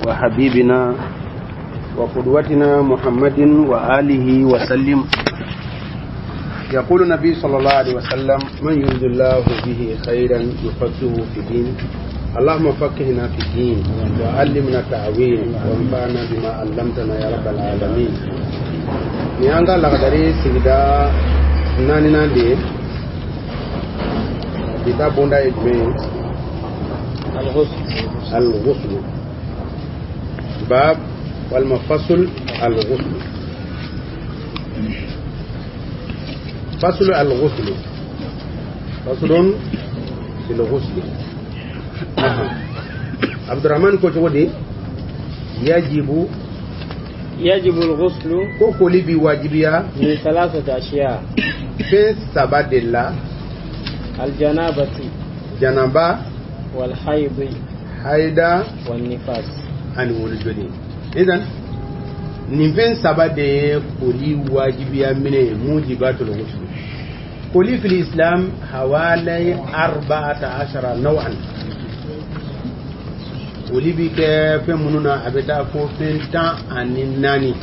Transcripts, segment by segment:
وحبيبنا وقدوتنا محمد وآله وسلم. يقول النبي صلى الله عليه وسلم: من يريد الله به خيرا يفقهه في الدين. اللهم فقهنا في الدين وعلمنا التأويل وانفعنا بما علمتنا يا رب العالمين. Ni an ka lakadari sigida naaninan de ye. Bi ta bonda ye jumɛn ye? Al-ghusl. Bab walima fasul al-ghusl. Fasul al-ghusl. Fasulun fil ghusl. Abdurrahman ko cogo di? Yajibu يجب الغسل ko koli bi wajibiya من ثلاثة أشياء fɛn saba de la: الجنابة janaba, والحيض haida والنفاس. ani wolojoli. Idan nin fɛn saba de ye koli wajibiya minɛ ye, mujibatul ghusl. Koli fil islam hawalai 14 naw'an. Koli bi kɛ fɛn minnu na, a bɛ taa fo fɛn 14.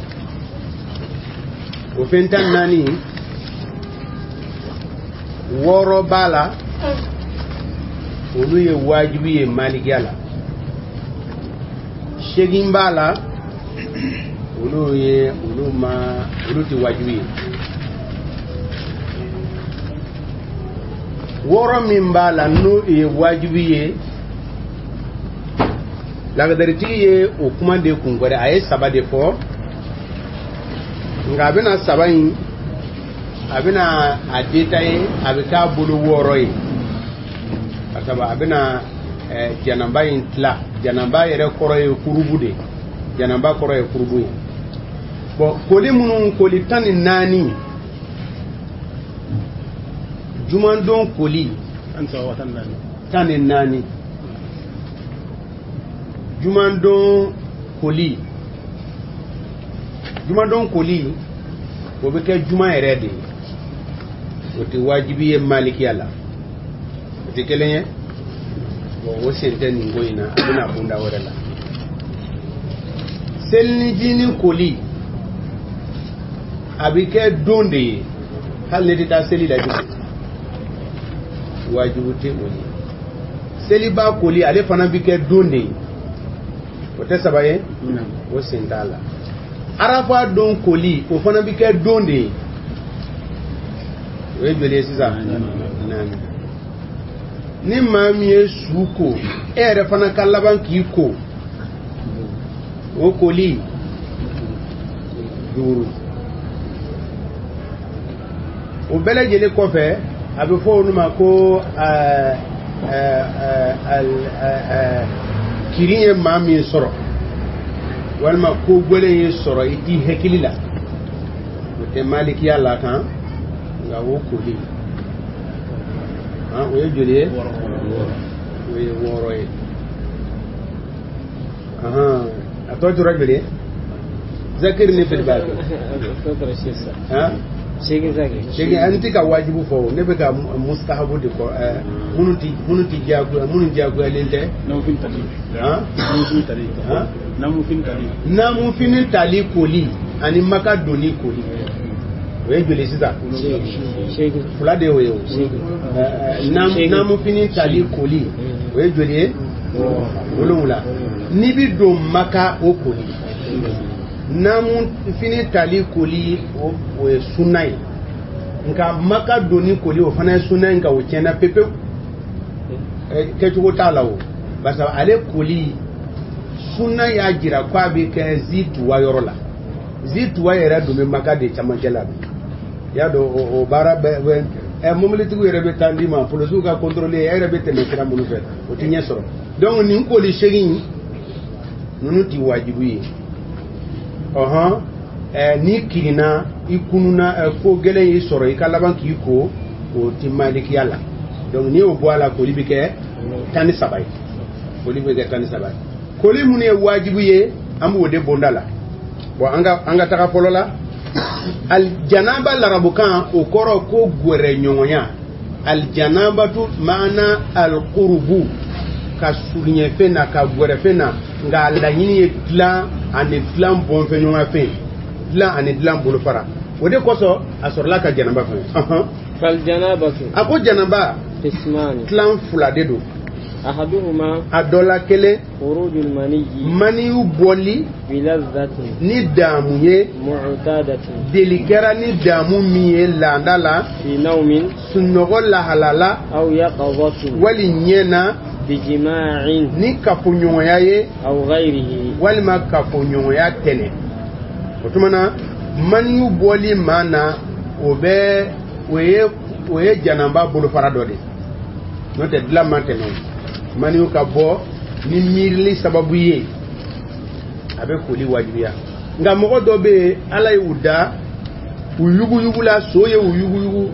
O fɛn 14, wɔɔrɔ b'a la, olu ye wajibi ye malikiya la. Seegin b'a la, olu ye olu ma olu tɛ wajibi ye. Wɔɔrɔ min b'a la n'o ye wajibi ye, lagadaritigi ye o kuma de kun gwɛrɛ. A ye saba de fɔ, nka a bɛna saba in, a bɛna a détailler, a bɛ k'a bolo wɔɔrɔ ye. Parce que a bɛna janaba in tila. Janaba yɛrɛ kɔrɔ ye kurubu de, janaba kɔrɔ ye kurubu ye. Bon, koli minnu, koli 14, jumandon koli 14, jumandon koli, jumandon koli o bɛ kɛ juma yɛrɛ de ye, o tɛ wajibi ye malikiya la, o tɛ kelen ye. Bon, o sen tɛ nin ko in na, a bɛna bonda wɛrɛ la. Selinijinin koli, a bɛ kɛ don de ye, hali ne tɛ taa seli la bilen, wajibi tɛ o ye. Seliba koli, ale fana bɛ kɛ don de ye, o tɛ saba ye, o sen t'a la. Arafa don koli, o fana bɛ kɛ don de ye. O ye joli ye sisan? Naani. Ni maa min ye su ko, e yɛrɛ fana ka laban k'i ko, o koli duuru. O bɛɛ lajɛlen kɔfɛ, a bɛ fɔ olu ma ko kirin ye maa min sɔrɔ, walima ko gɛlɛn ye sɔrɔ i t'i hakili la, o tɛ malikiya la kan, nka o koli, o ye joli ye? O ye wɔɔrɔ ye. A tɔ tora joli ye? Zakiri ni filiba. Seegin. An tɛ ka wajibu fɔ, ne bɛ ka mustahabu de fɔ, minnu tɛ diyagoya, minnu diyagoyalen tɛ. Namufini tali koli ani maka donni koli, o ye joli sisan? Fila de y'o ye. O namufini tali koli, o ye joli ye? Wolonwula. N'i bi don maka, o koli. Namufini tali koli, o ye sunna ye, nka maka donni koli, o fana ye sunna ye, nka o tiɲɛna pepewu, kɛcogo t'a la o. Parce que ale koli, sunna y'a jira ko a bɛ kɛ zituwa yɔrɔ la. Zituwa yɛrɛ dun bɛ maka de camancɛ la bi. I y'a dɔn, o baara bɛɛ, mobilitigiw yɛrɛ bɛ taa d'i ma, polisiw ka contrôle, e yɛrɛ bɛ tɛmɛ sira minnu fɛ, o tɛ ɲɛ sɔrɔ. Donc nin koli seegin ninnu ti wajibi ye. Ɔhɔn, n'i kirinna, i kununa, ko gɛlɛn y'i sɔrɔ, i ka laban k'i ko, o ti malikiya la. Donc n'i y'o bɔ a la, koli bɛ kɛ 13 ye. Koli bɛ kɛ 13 ye. Koli minnu ye wajibi ye, an b'o de bonda la. Bon, an ka taga fɔlɔ la. Aljanaba, larabukan, o kɔrɔ ko gwɛrɛ ɲɔgɔnya. Aljanabatu maana alqurubu, ka surunya fɛn na, ka gwɛrɛ fɛn na. Nka a laɲini ye dilan ani dilan bɔnfɛɲɔgɔnya fɛn, dilan ani dilan bolofara. O de kosɔn a sɔrɔla ka janaba fɛn. Faljanabatu. A ko janaba qismani, tilan fila de don. Ahaduhuma, a dɔ la kelen, khurujul maniyyi, maniyu bɔli, bilazzatin, ni daamu ye, mu'tadatin, deli kɛra ni daamu min ye laada la, fi nawmin, sunɔgɔ lahala la, aw yaqazatin, wali ɲɛ na, bijima'in, ni kafoɲɔgɔnya ye, aw ghayrihi, walima kafoɲɔgɔnya tɛnɛ. O tuma na maniyu bɔli maa na, o bɛ o ye janaba bolofara dɔ de ye, n'o tɛ dilan ma tɛmɛ. Maniyu ka bɔ ni miirili sababu ye, a bɛ koli wajibiya. Nka mɔgɔ dɔ bɛ yen, Ala ye u da u yuguyugu la, so ye u yuguyugu,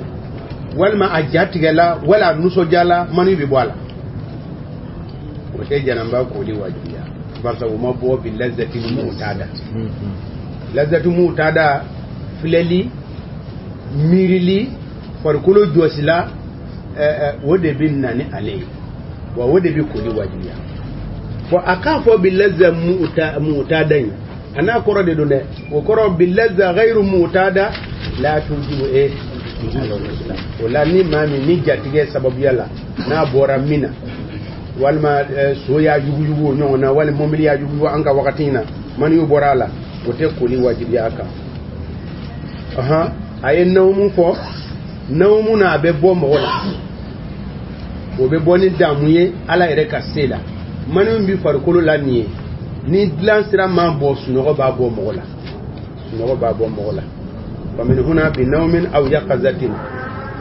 walima a ja tigɛla, wala a nisɔndiyala, maniyu bɛ bɔ a la. O tɛ janaba koli wajibiya, barisa o ma bɔ bi lazati mu'tada. Lazati mu'tada, filɛli, miirili, farikolo jɔsila, o de bɛ na ni ale ye, wa o de bɛ koli wajibiya. Bon, a k'a fɔ bi lazza mu'tada in, a n'a kɔrɔ de don dɛ. O kɔrɔ bi lazza ghayru mu'tada la tujibu e. O la ni maa min ni jatigɛ sababuya la n'a bɔra min na, walima so y'a yuguyugu o ɲɔgɔn na, walima mobili y'a yuguyugu an ka wagati in na, maniyu bɔra a la, o tɛ koli wajibiya a kan. A ye nawmu fɔ. Nawmu na, a bɛ bɔ mɔgɔ la, o bɛ bɔ ni damu ye Ala yɛrɛ ka se la. Mani min bɛ farikolo la nin ye, ni dilan sira ma bɔ, sunɔgɔ b'a bɔ mɔgɔ la, sunɔgɔ b'a bɔ mɔgɔ la. Wa min huna bi nawmin aw yaqazatin.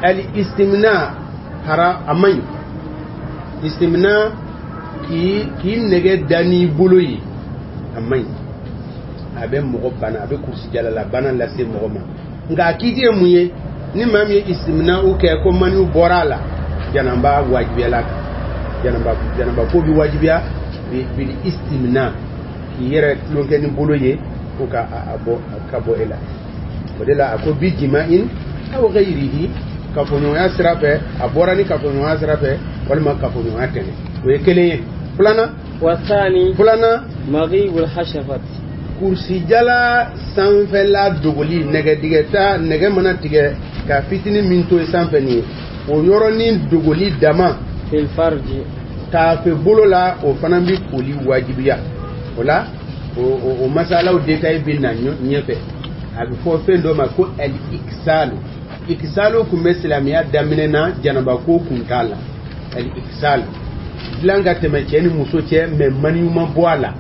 Al istimna hara a man ɲi. Istimna, k'i nɛgɛ da n'i bolo ye, a man ɲi, a bɛ mɔgɔ bana, a bɛ kurusi jalala bana lase mɔgɔ ma. Nka a kiiti ye mun ye? Ni maa min ye istimna u kɛ ko maniw bɔra a la, janaba wajibiyala kan. Janaba ko bi wajibiya bil istimna, k'i yɛrɛ tulonkɛ ni bolo ye ko ka a bɔ ka bɔ e la. O de la a ko bi jima'in aw ghayrihi, kafoɲɔgɔnya sira fɛ, a bɔra ni kafoɲɔgɔnya sira fɛ walima kafoɲɔgɔnya tɛnɛ. O ye kelen ye. Filanan, wasani, filanan, maghibul hashafat, kurusijala sanfɛla dogoli, nɛgɛdigɛta, nɛgɛ mana tigɛ ka fitinin min to sanfɛ nin ye, o yɔrɔnin dogoli dama, fil farji, taafe bolo la, o fana bɛ koli wajibiya. O la o masalaw détail bɛ na ɲɛfɛ. A bɛ fɔ fɛn dɔ ma ko al iksalu. Iksalu kun bɛ silamɛya daminɛ na, janaba ko kun t'a la. Al iksalu, dilan ka tɛmɛ cɛ ni muso cɛ, mɛ maniyu ma bɔ a la.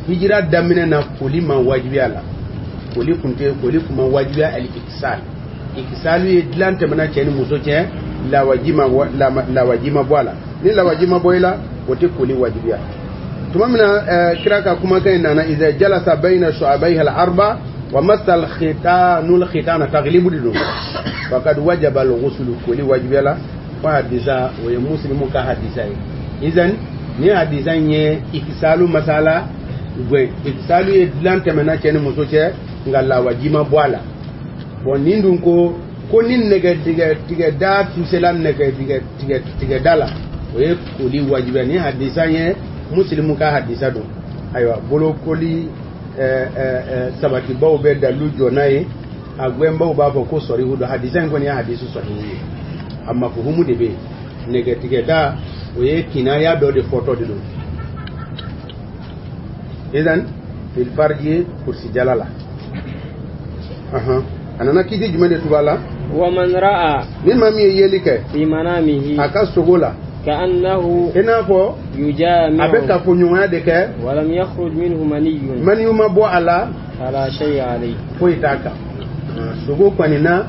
Hijira daminɛ na, koli ma wajibiya la, koli kun tɛ, koli kun ma wajibiya. Al iksal, iksalu ye dilan tɛmɛna cɛ ni muso cɛ, lawaji ma bɔ a la. Ni lawaji ma bɔ i la, o tɛ koli wajibiya. Tuma min na kira ka kumakan in nana, iza jalasa bayna shu'abayha al-arba wa massa al-khitanul khitana, taglibu de don, faqad wajaba al-ghuslu, koli wajibiya la. Fo hadisa, o ye muslimu ka hadisa ye. Izan ni hadisa in ye iksalu masala gwen. Iksalu ye dilan tɛmɛna cɛ ni muso cɛ, nka lawaji ma bɔ a la. Bon, nin dun ko ni nɛgɛ tigɛ da tusela nɛgɛ tigɛ da la, o ye koli wajibiya. Ni hadisa ye muslimu ka hadisa don. Ayiwa, bolokoli sabatibaw bɛ dalilu jɔ n'a ye, a gwɛnbaw b'a fɔ ko sɔrihu don. Hadisa in kɔni ye hadisu sɔrihu ye, a mafuhumu de bɛ yen. Nɛgɛ tigɛ da, o ye kinaya dɔ de fɔtɔ de don. Idan fil farji, kursijala la. A nana kiiti jumɛn de tugu a la? Wa man ra'a, ni maa min ye yeli kɛ, fi manamihi, a ka sogo la, ka'annahu, i n'a fɔ yujami'u, a bɛ kafoɲɔgɔnya de kɛ, wa lam yakhruj minhu maniyyun, maniyu ma bɔ a la, fala shay'a alayhi, foyi t'a kan. Sogo kɔni na,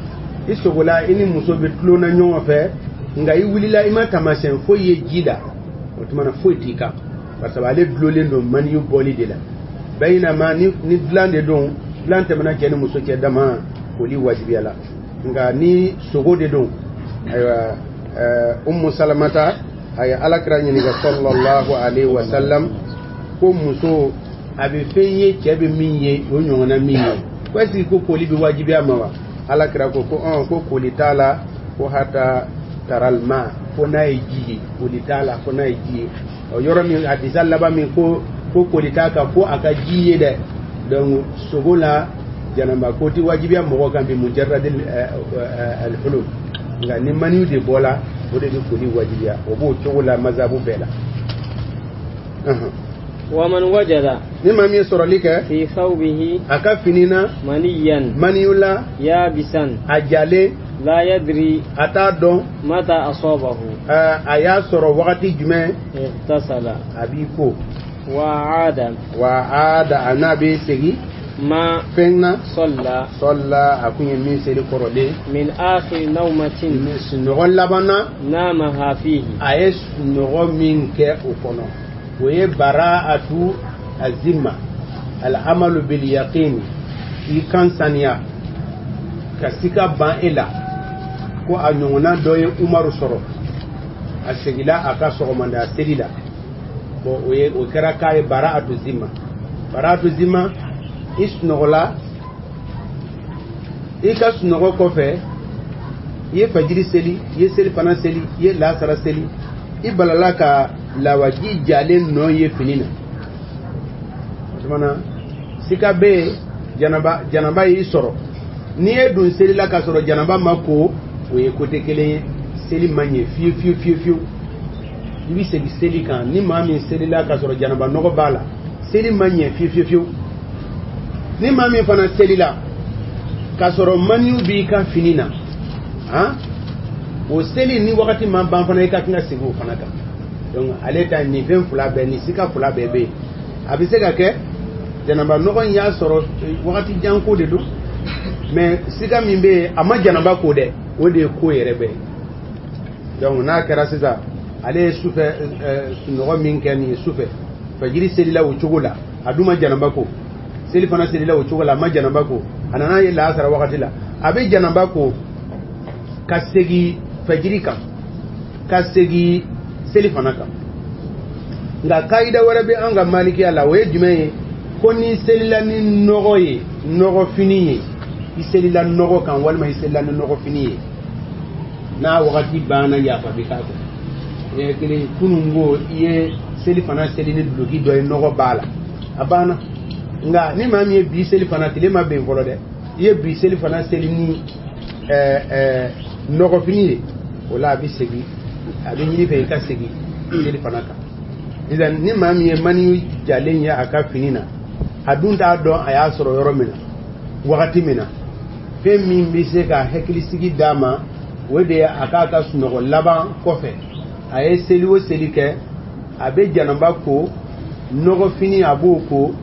i sogola, i ni muso bɛ tulon na ɲɔgɔn fɛ, nka i wulila i ma taamasiyɛn foyi ye ji la, o tuma na foyi t'i kan, parce que ale dulolen don maniyu bɔli de la. Bayinama ni dilan de don, dilan tɛmɛna cɛ ni muso cɛ dama, koli wajibiya la. Nka ni sogo de don, ayiwa, Ummu Salamata a ye Alakira ɲininka sallallahu alaihi wa sallam ko muso a bɛ fɛn ye cɛ bɛ min ye o ɲɔgɔnna min ye, ko est-ce que ko koli bɛ wajibiya ma wa? Alakira ko ko koli t'a la, ko hata taralma, ko n'a ye ji ye, koli t'a la, ko n'a ye ji ye. O yɔrɔ min hadisa laban min ko Ko koli t'a kan fo a ka ji ye dɛ. Donc sogo la janaba ko ti wajibiya mɔgɔ kan bi mujarradil al-hulul, nka ni maniyu de bɔla, o de bɛ koli wajibiya. O b'o cogo la mazabu bɛɛ la. ومن وجد Ni maa min ye sɔrɔli kɛ في ثوبه a ka fini na منيا maniyu la يابسا a jalen لا يدري a t'a dɔn متى أصابه a y'a sɔrɔ wagati jumɛn, اغتسل a b'i ko وعاد wa a da a n'a bɛ segin ما fɛn na صلى sɔla a kun ye min seli kɔrɔlen من آخر نومة sunɔgɔ laban na نامها فيه. A ye sunɔgɔ min kɛ o kɔnɔ, o ye bara'atu azimma al'amalu bil yaqin, i kan saniya ka sika ban e la ko a ɲɔgɔnna dɔ ye Umaru sɔrɔ, a segila a ka sɔgɔmada seli la. Bon, o ye o kɛra k'a ye bara'atu zimma. Bara'atu zimma, i sunɔgɔla, i ka sunɔgɔ kɔfɛ i ye fajiri seli, i ye seli fana seli, i ye lasara seli, i balala ka lawaji jalen nɔ ye fini na. O tuma na sika bɛ yen, janaba y'i sɔrɔ. N'i ye don seli la k'a sɔrɔ janaba ma ko, o ye kote kelen ye, seli ma ɲɛ fiyewu fiyewu fiyewu fiyewu. I bɛ segin seli kan. Ni maa min selila k'a sɔrɔ janaba nɔgɔ b'a la, seli ma ɲɛ fiyewu fiyewu fiyewu. Ni maa min fana selila k'a sɔrɔ maniyu b'i ka fini na, han, o seli ni wagati ma ban fana, i ka kan ka segin o fana kan. Donc ale ta nin fɛn fila bɛɛ, nin sika fila bɛɛ bɛ yen. A bɛ se ka kɛ janaba nɔgɔ in y'a sɔrɔ wagati jan ko de don, mais sika min bɛ yen, a ma janaba ko dɛ, o de ye ko yɛrɛ bɛɛ ye. Donc n'a kɛra sisan, ale ye sufɛ sunɔgɔ min kɛ nin ye sufɛ, fajiri selila o cogo la, a dun ma janaba ko, seli fana selila o cogo la, a ma janaba ko, a nana ye laasara wagati la, a bɛ janaba ko ka segin fajiri kan, ka segin seli fana kan. Nka kayida wɛrɛ bɛ an ka malikiya la, o ye jumɛn ye? Ko n'i selila ni nɔgɔ ye, nɔgɔfini ye, i selila nɔgɔ kan walima i selila ni nɔgɔfini ye, n'a wagati banna, yafa bɛ k'a kɔ. Kelen kunun ko i ye seli fana seli ni duloki dɔ ye, nɔgɔ b'a la, a banna. Nka ni maa min ye bi seli fana, tile ma bɛn fɔlɔ dɛ, i ye bi seli fana seli ni nɔgɔfini ye, o la a bɛ segin, a bɛ ɲini fɛ i ka segin seli fana kan. Sisan ni maa min ye mani jalen ye a ka fini na, a dun t'a dɔn a y'a sɔrɔ yɔrɔ min na, wagati min na, fɛn min bɛ se ka hakilisigi d'a ma, o de ye a k'a ka sunɔgɔ laban kɔfɛ, a ye seli o seli kɛ, a bɛ janaba ko, nɔgɔfini a b'o ko,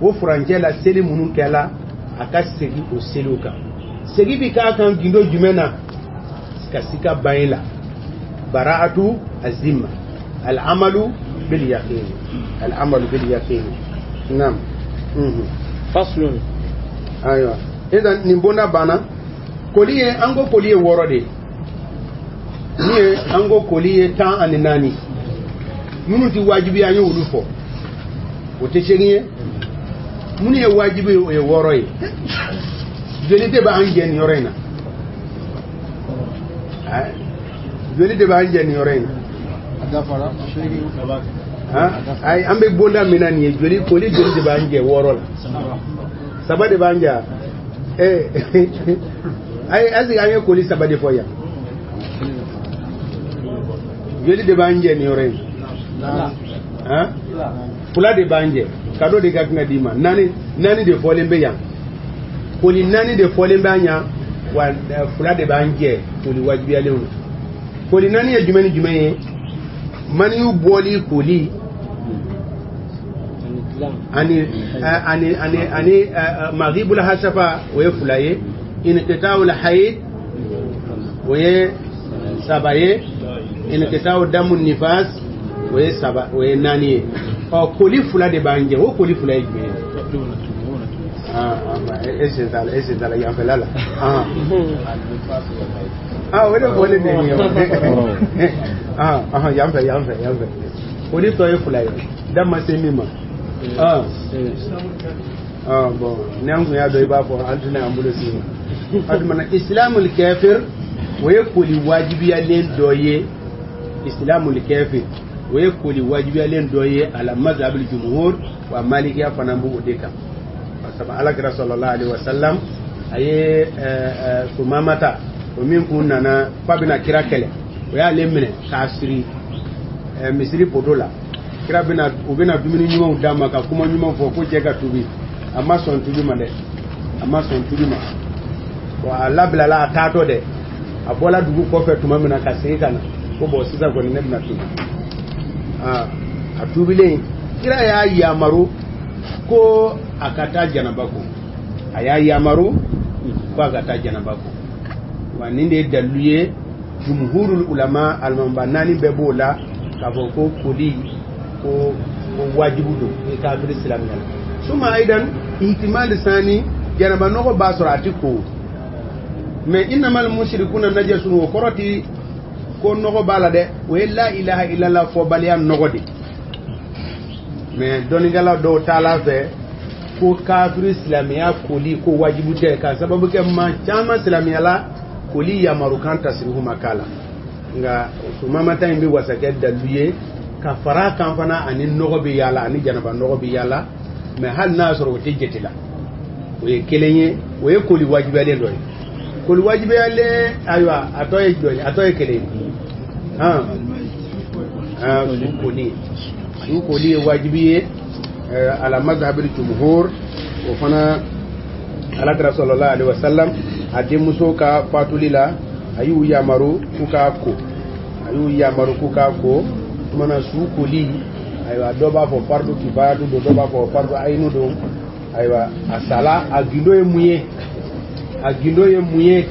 o furancɛ la seli minnu kɛla, a ka segin o seliw kan. Segin bɛ k'a kan gindo jumɛn na? Ka sika ban i la, bara'atu azimma, al'amalu bil yaqin, al'amalu bil yaqin. Naam. Faslun. Ayiwa, idan nin bonda banna, koli ye, an ko koli ye 6 de ye. Min ye an ko koli ye 14, minnu ti wajibi, an ye olu fɔ, o tɛ 8 ye. Minnu ye wajibi ye, o ye 6 ye. Joli de b'an jɛ nin yɔrɔ in na? Joli de b'an jɛ nin yɔrɔ in na? Ayi, an bɛ bonda min na nin ye, joli koli joli de b'an jɛ 6 la? 3 de b'an jɛ. Ayi, est-ce que an ye koli 3 de fɔ yan? Joli de b'an jɛ nin yɔrɔ in na? 2 de b'an jɛ. Kado de ka kan ka d'i ma. 4 de fɔlen bɛ yan, koli 4 de fɔlen b'an yan, wa 2 de b'an jɛ koli wajibiyalenw na. Koli 4 ye jumɛn ni jumɛn ye? Maniyu bɔli koli, ani ani ani ani maghibul hasafa, o ye 2 ye, inqita'ul hayd, o ye 3 ye, inqita'u damun nifas, o ye 3, o ye 4 ye. Ɔ, koli 2 de b'an jɛ. O koli 2 ye jumɛn ye? E sen t'a la, e sen t'a la yanfɛla la. O de fɔlen bɛ nin ye. Yanfɛ, yanfɛ, yanfɛ. Koli tɔ ye 2 ye, da ma se min ma. Bon, ni an kun y'a dɔn, i b'a fɔ an tɛna an bolo sigi ma. O tuma na islamul kafir, o ye koli wajibiyalen dɔ ye. Islamul kafir, O ye koli wajibiyalen dɔ ye ala mazhabil jumhur, wa malikiya fana b'o de kan. Parce que Alakira sallallahu alaihi wasallam a ye Sumamata, o min kun nana f'a bɛna kira kɛlɛ, o y'ale minɛ k'a siri misiri poto la. Kira bɛna, u bɛna dumuni ɲumanw d'a ma ka kuma ɲuman fɔ ko cɛ ka tubi. A ma sɔn tubi ma dɛ, a ma sɔn tubi ma. Bon, a labilala, a taatɔ dɛ, a bɔla dugu kɔfɛ tuma min na ka segin ka na, ko bon, sisan kɔni ne bɛna tubi. A tubilen, kira y'a yamaru ko a ka taa janaba ko, a y'a yamaru ko a ka taa janaba ko. Wa nin de ye dalilu ye, jumhurul ulama, alimamiba naani bɛɛ b'o la k'a fɔ ko koli ko wajibu don ni kafiri silamɛya la. Suma aidan ihtimali sani, janaba nɔgɔ b'a sɔrɔ a ti ko, mais innamal mushrikuna najasun, o kɔrɔ ti ko nɔgɔ b'a la dɛ, o ye la ilaha illallah fɔbaliya nɔgɔ de. Mais dɔnnikɛla dɔw taala fɛ ko kafiri silamɛya koli ko wajibu tɛ, k'a sababu kɛ maa caman silamɛya la, koli yamarukan tasirihu ma k'a la. Nka Sumamata in bɛ wasa kɛ dalilu ye ka fara a kan fana, ani nɔgɔ bɛ yaala, ani janaba nɔgɔ bɛ yaala, mais hali n'a y'a sɔrɔ o tɛ jate la, o ye kelen ye. O ye koli wajibiyalen dɔ ye. Koli wajibiyalen, ayiwa, a tɔ ye jɔli? A tɔ ye kelen ye. Han han, su koli, su koli ye wajibi ye ala mazhabil jumhur. O fana, Alakira sallallahu alaihi wasallam a denmuso ka fatuli la, a y'u yamaru k'u k'a ko, a y'u yamaru k'u k'a ko. Tumana su koli, ayiwa, dɔ b'a fɔ fardu kifayatu don, dɔ b'a fɔ fardu ayinu don. Ayiwa, a sala, a gindo ye mun ye? A gindo ye mun ye?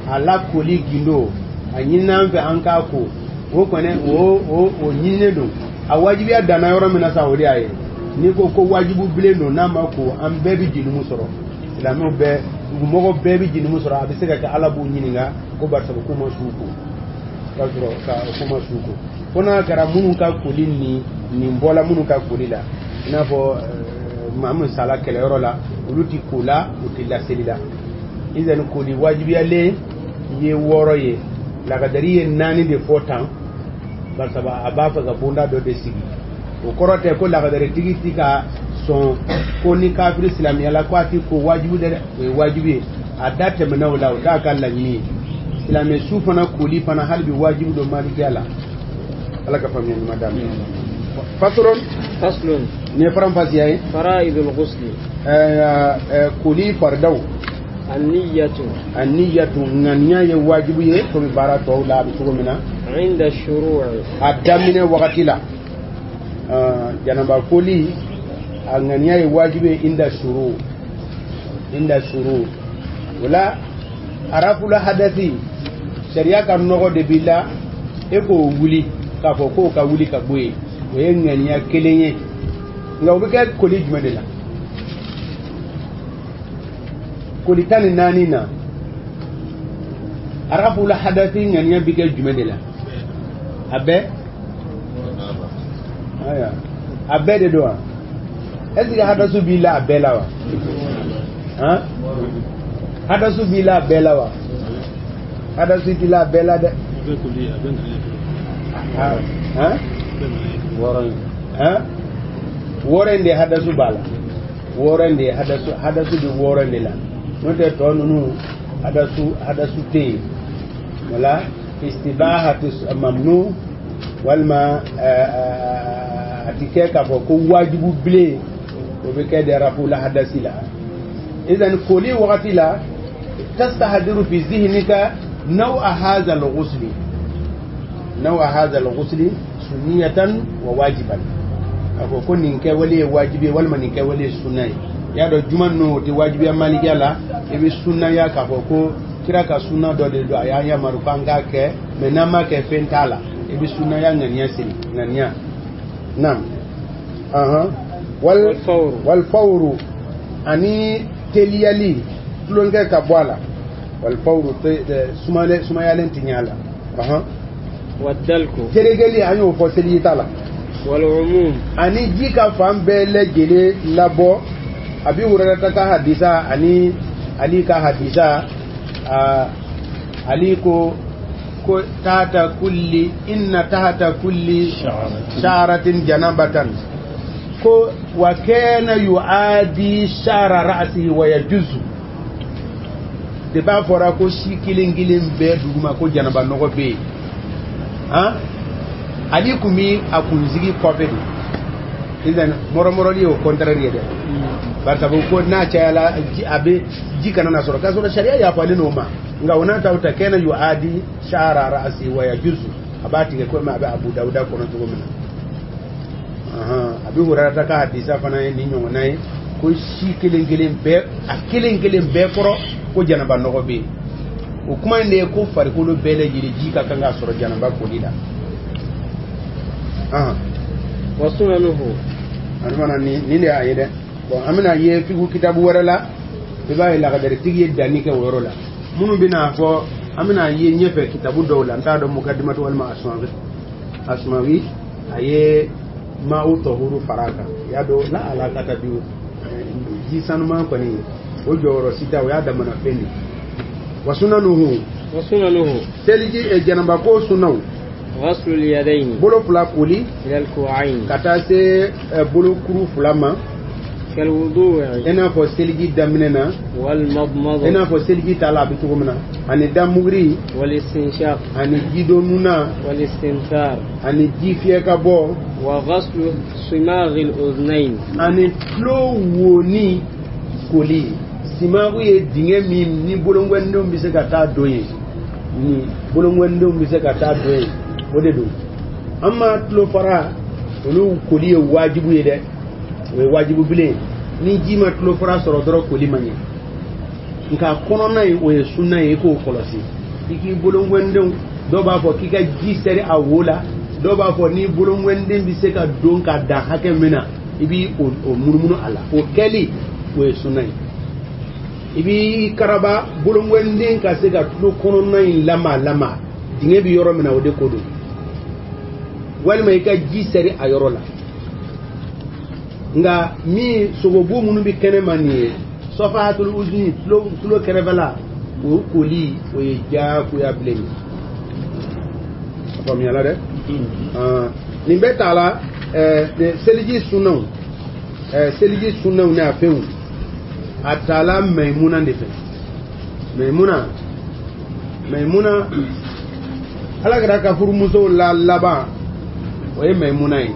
A la koli gindo, a ɲin'an fɛ an k'a ko, o kɔni o ɲininen don. A wajibiya danna yɔrɔ min na sa, o de y'a ye n'i ko ko wajibu bilen don, n'a ma ko, an bɛɛ bɛ jenimu sɔrɔ, silamɛw bɛɛ, dugumɔgɔw bɛɛ bɛ jenimu sɔrɔ. A bɛ se ka kɛ Ala b'u ɲininka ko barisa k'u ma su ko, k'a sɔrɔ ka k'u ma su ko, fo n'a kɛra minnu ka koli ni nin bɔla minnu ka koli la, i n'a fɔ maa min sala kɛlɛyɔrɔ la, olu ti ko la, u ti laseli la. Izani koli wajibiyalen ye 6 ye, lakadari ye 4 de fɔ tan, barisa a b'a fɛ ka bonda dɔ de sigi. O kɔrɔ tɛ ko lakadaritigi ti ka sɔn ko ni kafiri silamɛya la ko a ti ko wajibi dɛ, o ye wajibi ye. A da tɛmɛna o la, o t'a ka laɲini ye. Silamɛ su fana koli fana hali bi wajibi don malikiya la. Ala ka faamuya ɲuman d'a ma. Faslun. Faslun. Nin ye faranfasiya ye. Fara'idul ghusli. Koli faridaw. An-niyyatu. An-niyyatu, ŋaniya ye wajibi ye komi baara tɔw la a bɛ cogo min na. Inda shuru'i. A daminɛ wagati la. Janaba koli a ŋaniya ye wajibi ye inda shuru, inda shuru. O la arafula hadasi, sariya ka nɔgɔ de b'i la, e k'o wuli k'a fɔ k'o ka wuli ka bɔ yen, o ye ŋaniya kelen ye. Nka o bɛ kɛ koli jumɛn de la? Koli 14 na, arafula hadasi ŋaniya bɛ kɛ jumɛn de la? A bɛɛ? Aya, a bɛɛ de don wa? Est ce que hadasu b'i la a bɛɛ la wa? Han, hadasu b'i la a bɛɛ la wa? Hadasu t'i la a bɛɛ la dɛ. Han, han, 6 in de hadasu b'a la, 6 in de hadasu, hadasu bɛ 6 in de la. N'o tɛ tɔ ninnu hadasu tɛ yen. Wala istibahatu mamnu, walima a ti kɛ k'a fɔ ko wajibu bilen, o bɛ kɛ de rafula hadasi la. Idan koli wagati la, tastahdiru fi zihnika naw'a hadha al-ghusli, naw'a hadha al-ghusli sunniyatan wa wajiban. A ko ko nin kɛwale ye wajibi ye walima nin kɛwale ye sunna ye. I y'a dɔn juma ninnu o tɛ wajibiya malikiya la, i bɛ sunnaya k'a fɔ ko kira ka sunna dɔ de don, a y'an yamaru k'an k'a kɛ, mais n'an m'a kɛ fɛn t'a la, i bɛ sunnaya ŋaniya siri ŋaniya. Naam. Ahan. Wal fawru. Wal fawru ani teliyali, tulonkɛ ka bɔ a la. Wal fawru sumayalen ti ɲɛ a la. Ahan. Wadalku. Teregeli, an y'o fɔ seli ta la. Wal umum. Ani ji ka fan bɛɛ lajɛlen labɔ. Abi Hurairata ka hadisa ani Ali ka hadisa, Ali ko Ko tahta kulli inna tahta kulli sha'ratin janabatan. Ko wa kana yu'adi sha'ra ra'sihi wa yajuzu. De b'a fɔra ko si kelen kelen bɛɛ duguma ko janaba nɔgɔ bɛ yen. Han, Ali kun bi a kunsigi kɔfɛ de. Sisan mɔrɔmɔrɔli ye o contraire ye dɛ. Barisa ko n'a cayala a bɛ ji kana na sɔrɔ, k'a sɔrɔ sariya yafalen n'o ma. Nka o n'a ta o ta kana yu'adi sha'ra ra'si wa yajuzu, a b'a tigɛ komi a bɛ Abu Dawuda kɔnɔ cogo min na. Abi Hurayra ka hadisa fana ye nin ɲɔgɔnna ye, ko si kelen kelen bɛɛ, a kelen kelen bɛɛ kɔrɔ ko janaba nɔgɔ bɛ yen. O kuma in de ye ko farikolo bɛɛ lajɛlen ji ka kan ka sɔrɔ janaba koli la. Wa sunanuhu. An fana nin de y'a ye dɛ. Bon, an bɛna ye figu kitabu wɛrɛ la, i b'a ye lagadaritigi ye danni kɛ o yɔrɔ la. Minnu bɛna fɔ, an bɛna ye ɲɛfɛ kitabu dɔw la, n t'a dɔn mukadimatu walima Asumawi, a ye ma'u tahuru fara a kan. I y'a dɔn la alakata bi ji sanuman kɔni o jɔyɔrɔ si t'a, o y'a damana fɛn de. Wa sunanuhu. Wa sunanuhu. Seliji janaba ko sunaw. Ghaslu yadayni. Bolo fila koli. Ila al-ku'ayn. Ka taa se bolokuru fila ma. Kal wudu'i. I n'a fɔ seliji daminɛ na. Wal madmada. I n'a fɔ seliji ta la a bɛ cogo min na. Ani damuguri. Wal istinshaq. Ani jidonuna. Wal istinthar. Ani ji fiyɛ ka bɔ. Wa ghaslu simaghi al-udhnayn. Ani tulo woni koli. Simagu ye dingɛ min ni bolongɔnidenw bɛ se ka taa don yen. Ni bolongɔnidenw bɛ se ka taa don yen. O de don. An ma tulo fara olu koli ye wajibu ye dɛ. O ye wajibu bilen. Ni ji ma tulo fara sɔrɔ dɔrɔn koli man ɲɛ. Nka kɔnɔna in o ye sunna ye, i k'o kɔlɔsi. I k'i bolongɔnidenw, dɔw b'a fɔ k'i ka ji sɛri a wo la, dɔw b'a fɔ ni bolongɔniden bɛ se ka don ka dan hakɛ min na, i b'i o munumunu a la. O kɛli o ye sunna ye. I b'i karaba bolongɔniden ka se ka tulo kɔnɔna in lama, dingɛ bɛ yɔrɔ min na o de ko don. Walima i ka ji sɛri a yɔrɔ la. Nka min sogobu minnu bɛ kɛnɛma nin ye, sɔfahatul uzni, tulo kɛrɛfɛla, o koli o ye diyagoya bilen ye. A faamuyala dɛ? Nin bɛɛ t'a la. Seliji sunnaw, seliji sunnaw n'a fɛnw, a taala Maimuna de fɛ. Maimuna Ala kɛra ka furumusow la laban, o ye Maimuna ye.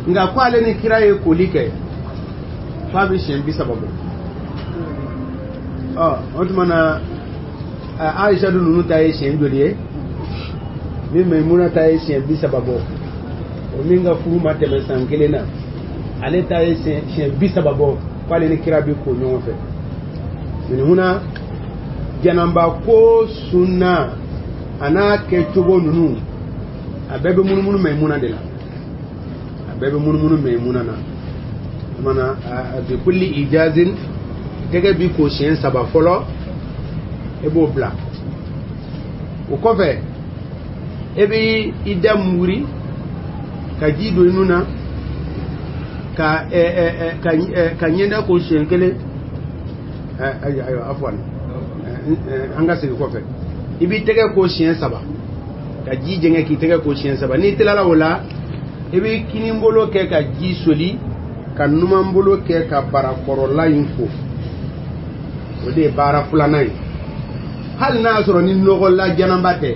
Nka ko ale ni kira ye koli kɛ f'a bɛ siɲɛ 30 bɔ. O tuma na Aisha dun ninnu ta ye siɲɛ joli ye? Ni Maimuna ta ye siɲɛ 30 bɔ, o min ka furu ma tɛmɛ san kelen na, ale ta ye siɲɛ 30 bɔ k'ale ni kira bɛ ko ɲɔgɔn fɛ. Maimuna janaba ko sunna a n'a kɛcogo ninnu, a bɛɛ bɛ munumunu Maimuna de la. A bɛɛ bɛ munumunu Maimuna na. O tuma na bi kulli ijazin, tɛgɛ bi ko siɲɛ 3 fɔlɔ, e b'o bila. O kɔfɛ e bɛ i da muguri ka ji don i nun na, ka ɲɛda ko siɲɛ 1. Ayiwa, afwan, an ka segin kɔfɛ. I b'i tɛgɛ ko siɲɛ 3, ka ji jɛngɛ k'i tɛgɛ ko siɲɛ 3. N'i tilala o la, i bɛ kinibolo kɛ ka ji soli, ka numanbolo kɛ ka barakɔrɔla in fo. O de ye baara filanan ye. Hali n'a y'a sɔrɔ ni nɔgɔla janaba tɛ,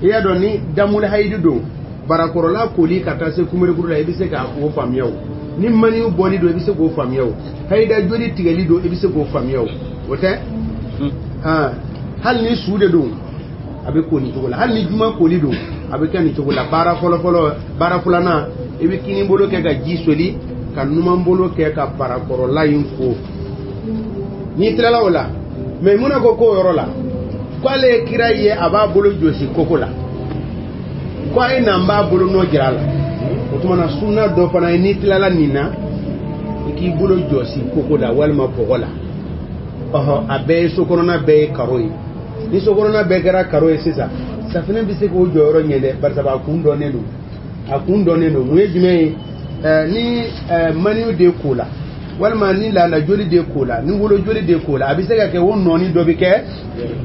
i y'a dɔn ni damuli hayidi don, barakɔrɔla koli ka taa se kunberekuru la, i bɛ se k'o faamuya o. Ni maniw bɔli don, i bɛ se k'o faamuya o. Hayida joli tigɛli don, i bɛ se k'o faamuya o. O tɛ? Hali ni su de don, a bɛ ko nin cogo la. Hali ni juma koli don, a bɛ kɛ nin cogo la. Baara fɔlɔfɔlɔ, baara filanan, i bɛ kinibolo kɛ ka ji soli, ka numanbolo kɛ ka barakɔrɔla in ko. N'i tilala o la, Maimuna ko k'o yɔrɔ la, k'ale ye kira ye a b'a bolo jɔsi koko la, ko a ye na n b'a bolo nɔ jira a la. O tuma na sunna dɔ fana ye, n'i tilala nin na, i k'i bolo jɔsi koko la walima bɔgɔ la. A bɛɛ ye sokɔnɔna bɛɛ ye karo ye. Ni sokɔnɔna bɛɛ kɛra karo ye sisan, safinɛ bɛ se k'o jɔyɔrɔ ɲɛ dɛ, barisa a kun dɔnnen don. A kun dɔnnen don. Mun ye jumɛn ye? Ni maniw de ko la, Walima ni laada joli de ko la, ni wolo joli de ko la, a bɛ se ka kɛ o nɔɔni dɔ bɛ kɛ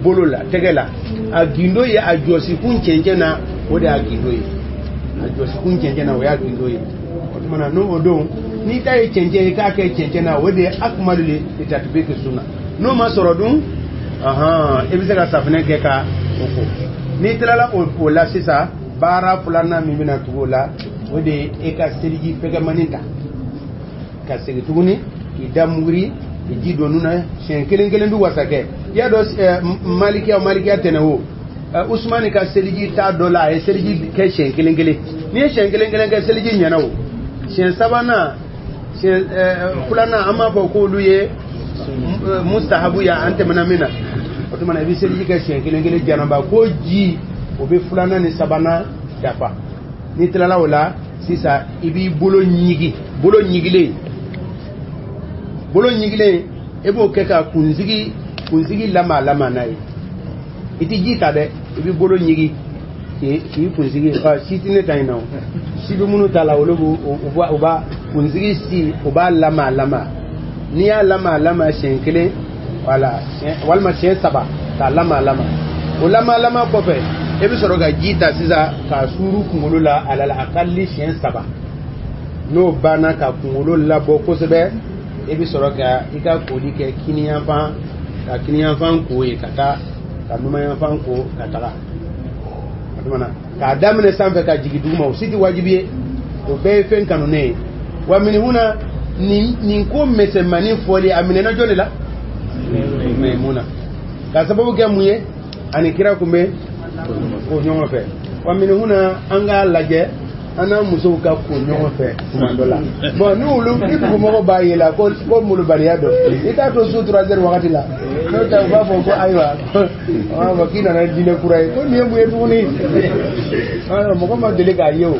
bolo la, tɛgɛ la. A gindo ye a jɔsikun cɛncɛn na, o de y'a gindo ye. A jɔsikun cɛncɛn na, o y'a gindo ye. O tuma na n'o don, n'i ta ye cɛncɛn ye, k'a kɛ cɛncɛn na, o de ye akmalu li tatbiki sunna. N'o ma sɔrɔ dun, i bɛ se ka safunɛ kɛ ka o ko. N'i tilala o la sisan, baara filanan min bɛna tugu o la, o de ye e ka seliji fɛgɛmani ta ka segin tuguni k'i da muguri, k'i ji don nun na siɲɛ kelen kelen bɛ wasa kɛ. I y'a dɔn malikiya tɛnɛ o Usumani ka seliji t'a dɔ la, a ye seliji kɛ siɲɛ kelen kelen. N'i ye siɲɛ kelen kelen kɛ, seliji ɲɛna o. Siɲɛ sabanan, siɲɛ filanan, an b'a fɔ k'olu ye mustahabu ya, an tɛmɛna min na. O tuma na i bɛ seliji kɛ siɲɛ kelen kelen, janaba ko ji o bɛ filanan ni sabanan dafa. N'i tilala o la sisan, i b'i bolo ɲigi, bolo ɲigilen, bolo ɲigilen, e b'o kɛ ka kunsigi lama lama n'a ye. I tɛ ji ta dɛ, i b'i bolo ɲigi k'i kunsigi. Si tɛ ne ta in na o, si bɛ minnu ta la, olu b'o u b'a kunsigi si, u b'a lama lama. N'i y'a lama lama siɲɛ kelen, wala walima siɲɛ saba k'a lama lama, o lama lama kɔfɛ, e bɛ sɔrɔ ka ji ta sisan k'a suuru kunkolo la alal akalli siɲɛ saba. N'o banna ka kunkolo labɔ kosɛbɛ, e bɛ sɔrɔ ka i ka koli kɛ kiniyanfan, ka kiniyanfan ko ye ka taa, ka numanyanfan ko ka taga. O tuma na k'a daminɛ sanfɛ ka jigin duguma, o si tɛ wajibi ye, o bɛɛ ye fɛn kanunen ye. Wa minihuna nin ko misɛnmanin fɔli, a minɛna jɔn de la? Maimuna. Ka sababu kɛ mun ye? Ani kira kun bɛ ko ɲɔgɔn fɛ. Wa minihuna an k'a lajɛ an n'an musow ka ko ɲɔgɔn fɛ tuma dɔ la. Bon, ni olu ni dugumɔgɔw b'a ye la ko molobaliya dɔ, i t'a to su 3 heures wagati la, n'o tɛ u b'a fɔ ko ayiwa, u b'a fɔ k'i nana diinɛ kura ye, ko nin ye mun ye tuguni? Mɔgɔ ma deli k'a ye o.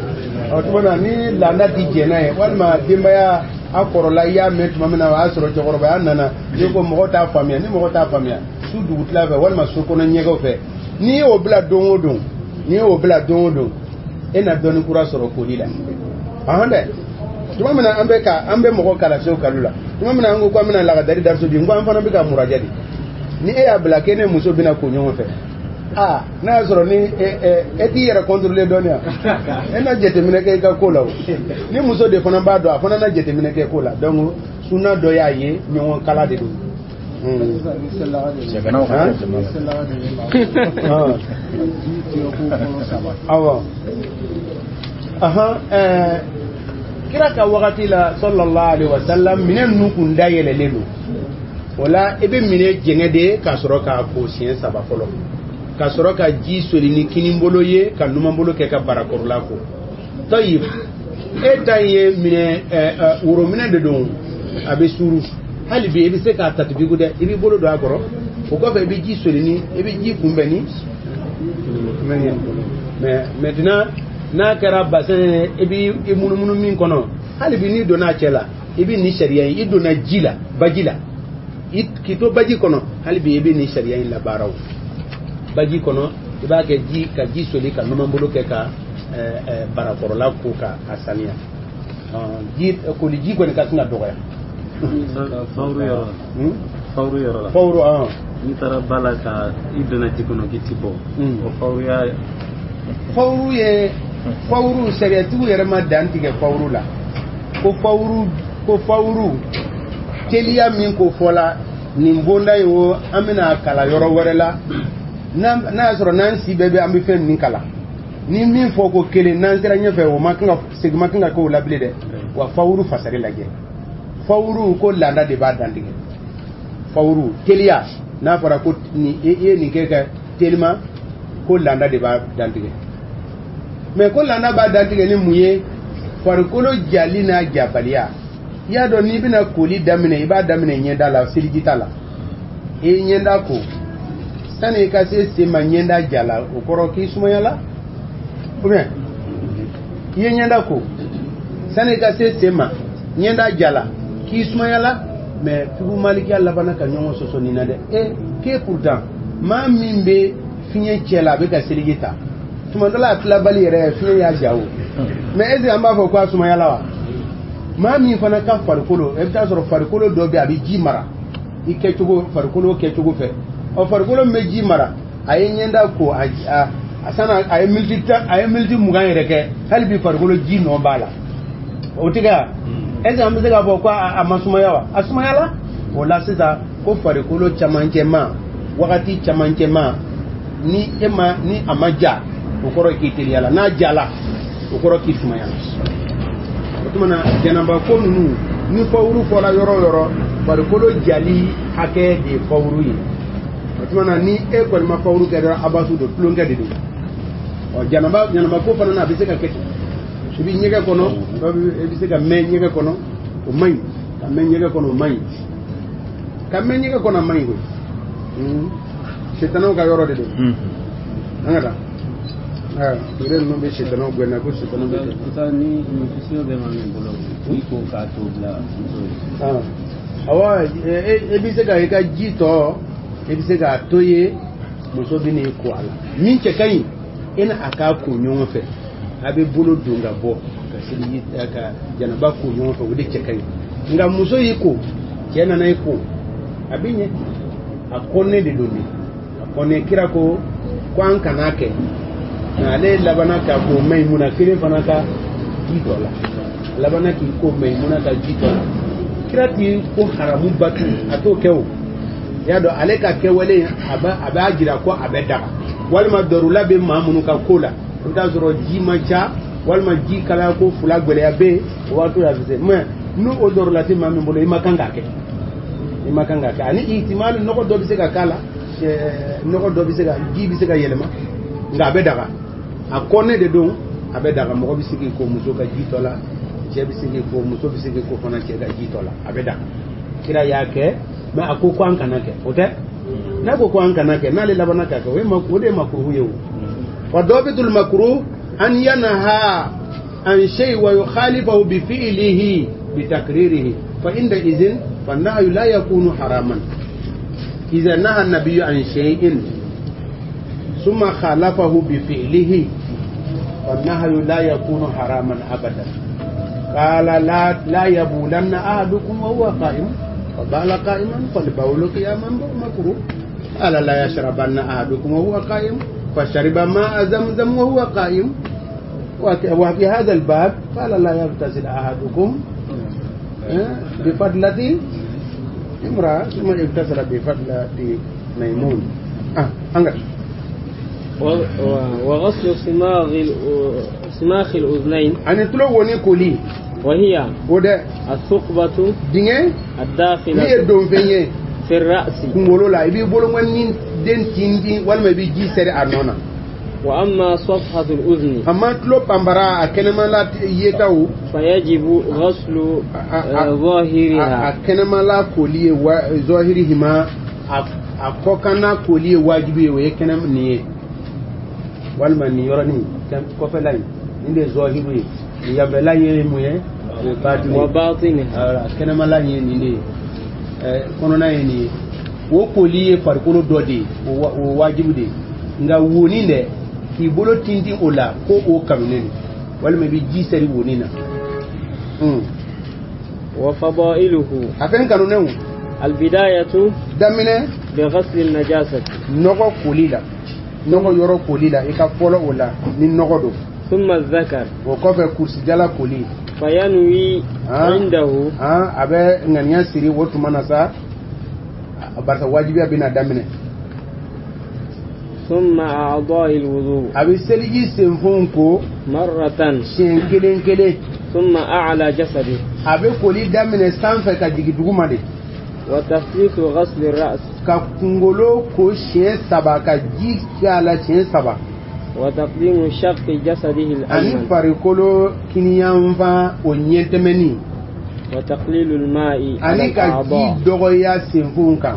O tuma na ni laada ti jɛn n'a ye, walima denbaya a kɔrɔla, i y'a mɛn tuma min na, o y'a sɔrɔ cɛkɔrɔbaya nana, n'i ko mɔgɔ t'a faamuya, ni mɔgɔ t'a faamuya, su dugutila fɛ walima so kɔnɔ ɲɛgɛnw fɛ, n'i y'o bila don o don, n'i y'o bila don o don, e na dɔnni kura sɔrɔ koli la. Ahan dɛ, tuma min na an bɛ ka an bɛ mɔgɔ kalan sew kalu la, tuma min na an ko k'an bɛna lagadari dariso di, n ko an fana bɛ ka murajɛ de. Ni e y'a bila k'e ne muso bɛna ko ɲɔgɔn fɛ, aa n'a y'a sɔrɔ ni e t'i yɛrɛ contrôler dɔɔni yan, e na jateminɛ kɛ i ka ko la o. Ni muso de fana b'a dɔn, a fana na jateminɛ kɛ ko la. Donc sunna dɔ y'a ye, ɲɔgɔn kala de don. Awɔ, ahan, kira ka wagati la sallallahu alaihi wasallam, minɛn ninnu kun dayɛlɛlen don. O la i bɛ minɛ jɛngɛ de ka sɔrɔ k'a ko siɲɛ saba fɔlɔ, ka sɔrɔ ka ji soli ni kinibolo ye ka numanbolo kɛ ka barakɔrɔla ko. Tayib, e ta ye minɛ worominɛ de don, a bɛ suuru. Hali bi i bɛ se k'a tatibiku dɛ, i b'i bolo don a kɔrɔ, o kɔfɛ i bɛ ji soli ni, i bɛ ji kunbɛn ni. Mais maintenant n'a kɛra bassin ye, i b'i munumunu min kɔnɔ, hali bi n'i donna a cɛ la, i bɛ nin sariya in, i donna ji la, baji la, k'i to baji kɔnɔ, hali bi i bɛ nin sariya in labaara o. Baji kɔnɔ i b'a kɛ ji ka ji soli ka numanbolo kɛ ka barakɔrɔla ko ka a saniya. Ji koli ji kɔni ka sin ka dɔgɔya. Fawuru yɔrɔ la. Fawuru yɔrɔ la. Fawuru an. N'i taara ba la ka i donna ji kɔnɔ k'i ti bɔ. O fawuruya. Fawuru ye fawuru sariyatigiw yɛrɛ ma dan tigɛ fawuru la. Ko fawuru teliya min ko fɔla nin bonda in o, an bɛna kalan yɔrɔ wɛrɛ la. N'a y'a sɔrɔ n'an si bɛɛ bɛ an bɛ fɛn min kalan, ni min fɔ ko kelen, n'an sera ɲɛfɛ o ma kan ka segin ma kan ka k'o la bilen dɛ. Wa fawuru fasari lajɛ, fawuru ko laada de b'a dantigɛ. Fawuru teliya, n'a fɔra ko ni i ye nin kɛ ka telima, ko laada de b'a dantigɛ. Mais ko laada b'a dantigɛ ni mun ye? Farikolo jali n'a jabaliya. I y'a dɔn n'i bɛna koli daminɛ, i b'a daminɛ ɲɛda la, seliji t'a la. I ye ɲɛda ko, sani i ka se sen ma ɲɛda ja la, o kɔrɔ k'i sumayala. Ou bien i ye ɲɛda ko, sani i ka se sen ma ɲɛda ja la, k'i sumayala. Mais figu malikiya labanna ka ɲɔgɔn sɔsɔ nin na dɛ. K'e pourtant maa min bɛ fiɲɛ cɛ la, a bɛ ka seliji ta, tuma dɔ la a tilabali yɛrɛ fiɲɛ y'a ja o. Mais est ce que an b'a fɔ k'a sumayala wa? Maa min fana ka farikolo, i bɛ taa sɔrɔ farikolo dɔ bɛ yen, a bɛ ji mara i kɛcogo, farikolo kɛcogo fɛ. Ɔ, farikolo min bɛ ji mara, a ye ɲɛda ko, a sanna a ye miniti 10, a ye miniti 20 yɛrɛ kɛ, hali bi farikolo ji nɔ b'a la. O tɛ kɛ wa? Est ce que an bɛ se k'a fɔ ko a ma sumaya wa? A sumayala. O la sisan ko farikolo camancɛma, wagati camancɛma, ni e ma, ni a ma ja, o kɔrɔ k'i teliyala. N'a jala, o kɔrɔ k'i sumayala. O tuma na janaba ko ninnu, ni fawuru fɔra yɔrɔ o yɔrɔ, farikolo jali hakɛ de ye fawuru ye. O tuma na ni e kɔni ma fawuru kɛ dɔrɔn, abasu don, tulonkɛ de don. Ɔ, janaba ko fana na, a bɛ se ka kɛ ten. I bɛ ɲɛgɛn kɔnɔ, i bɛ se ka mɛn ɲɛgɛn kɔnɔ, o man ɲi. Ka mɛn ɲɛgɛn kɔnɔ, o man ɲi. Ka mɛn ɲɛgɛn kɔnɔ, a man ɲi koyi. Sitanaw ka yɔrɔ de don. An ka taa. Aa, ninnu bɛ sitanaw gɛn na ko sitanaw bɛ kɛ. Ni muso bɛ maa min bolo, i ko k'a to bila muso ye. Awɔ, e bɛ se ka i ka ji tɔ, i bɛ se k'a to ye, muso bɛ n'i ko a la. Min cɛ ka ɲi, e ni a k'a ko ɲɔgɔn fɛ, a bɛ bolo don ka bɔ ka seliji ka janaba ko ɲɔgɔn fɛ, o de cɛ ka ɲi. Nka muso y'i ko, cɛ nana i ko, a bɛ ɲɛ. A kɔnnen de don de, a kɔnnen. Kira ko ko an kan'a kɛ, nka ale labanna k'a ko Mayimuna kelen fana ka ji tɔ la. A labanna k'i ko Mayimuna ka ji tɔ la. Kira ti ko haramu batu, a t'o kɛ o. I y'a dɔn, ale ka kɛwale, a b'a jira ko a bɛ daga. Walima dɔrula bɛ maa minnu ka ko la, i bɛ taa sɔrɔ ji man ca, walima ji kalaya ko fila gɛlɛya bɛ yen, o waati la a bɛ se. Mais n'o o dɔrula tɛ maa min bolo, i ma kan k'a kɛ, i ma kan k'a kɛ. Ani ihtimal, nɔgɔ dɔ bɛ se ka k'a la, nɔgɔ dɔ bɛ se ka, ji bɛ se ka yɛlɛma, nka a bɛ daga. A kɔnnen de don, a bɛ daga. Mɔgɔ bɛ se k'i ko muso ka ji tɔ la, cɛ bɛ se k'i ko, muso bɛ se k'i ko fana cɛ ka ji tɔ la, a bɛ daga. Kira y'a kɛ, mais a ko ko an kana kɛ, o tɛ. N'a ko ko an kana kɛ, n'ale labanna k'a kɛ, o de ye makuruhu ye. O wa dɔbitul makruh an yanha an shay wa yukhalifahu bi fi'lihi bi takririhi, fa inda izin fa nahyu la yakunu haraman. Idha naha an-nabiyyu an shay'in thumma khalafahu bi fi'lihi, fa nahyu la yakunu haraman abadan. Qala la yabulanna ahadukum wa huwa qa'im, فبال قائما فالبول قياما مكروه. قال لا يشربن أحدكم وهو قائم، فشرب ماء زمزم وهو قائم. وفي هذا الباب قال لا يغتسل أحدكم بفضلة امرأة، ثم اغتسل بفضلة ميمون. وغسل صماخ الأذنين. أن تلوني كلي وهي الثقبة الداخلة في الرأس. وأما صفحة الأذن فيجب غسل ظاهرها. وباطنها. Kɛnɛmala ye nin de ye, kɔnɔna ye nin ye. O koli ye farikolo dɔ de ye, o wajibi de ye. Nka wonin dɛ, k'i bolo tintin o la, ko o kanunen don, walima i bɛ ji sɛri wonin na. Wa fadailuhu. A fɛn kanunenw. Albidayatu. Daminɛ. Bi ghasli najasati. Nɔgɔ koli la, nɔgɔ yɔrɔ koli la, i ka fɔlɔ o la ni nɔgɔ don. Thumma dhakar. O kɔfɛ kurusijala koli. Fayanwi indahu. A bɛ ŋaniya siri o tuma na sa, barisa wajibiya bɛna daminɛ. Thumma a'dha'i al-wudu. A bɛ seliji senfɛnw ko. Marratan. Siɲɛ kelen kelen. Thumma a'la jasadi. A bɛ koli daminɛ sanfɛ ka jigin duguma de. Wa taslisu ghasli ar-ra's. Ka kunkolo ko siɲɛ 3, ka ji k'a la siɲɛ 3. Wa taqdimu shaqqi jasadihi al-ayman. Ani farikolo kiniyanfan o ɲɛtɛmɛni. Wa taqlilu al-ma'i ala Ani ka ji dɔgɔya senfɛnw kan,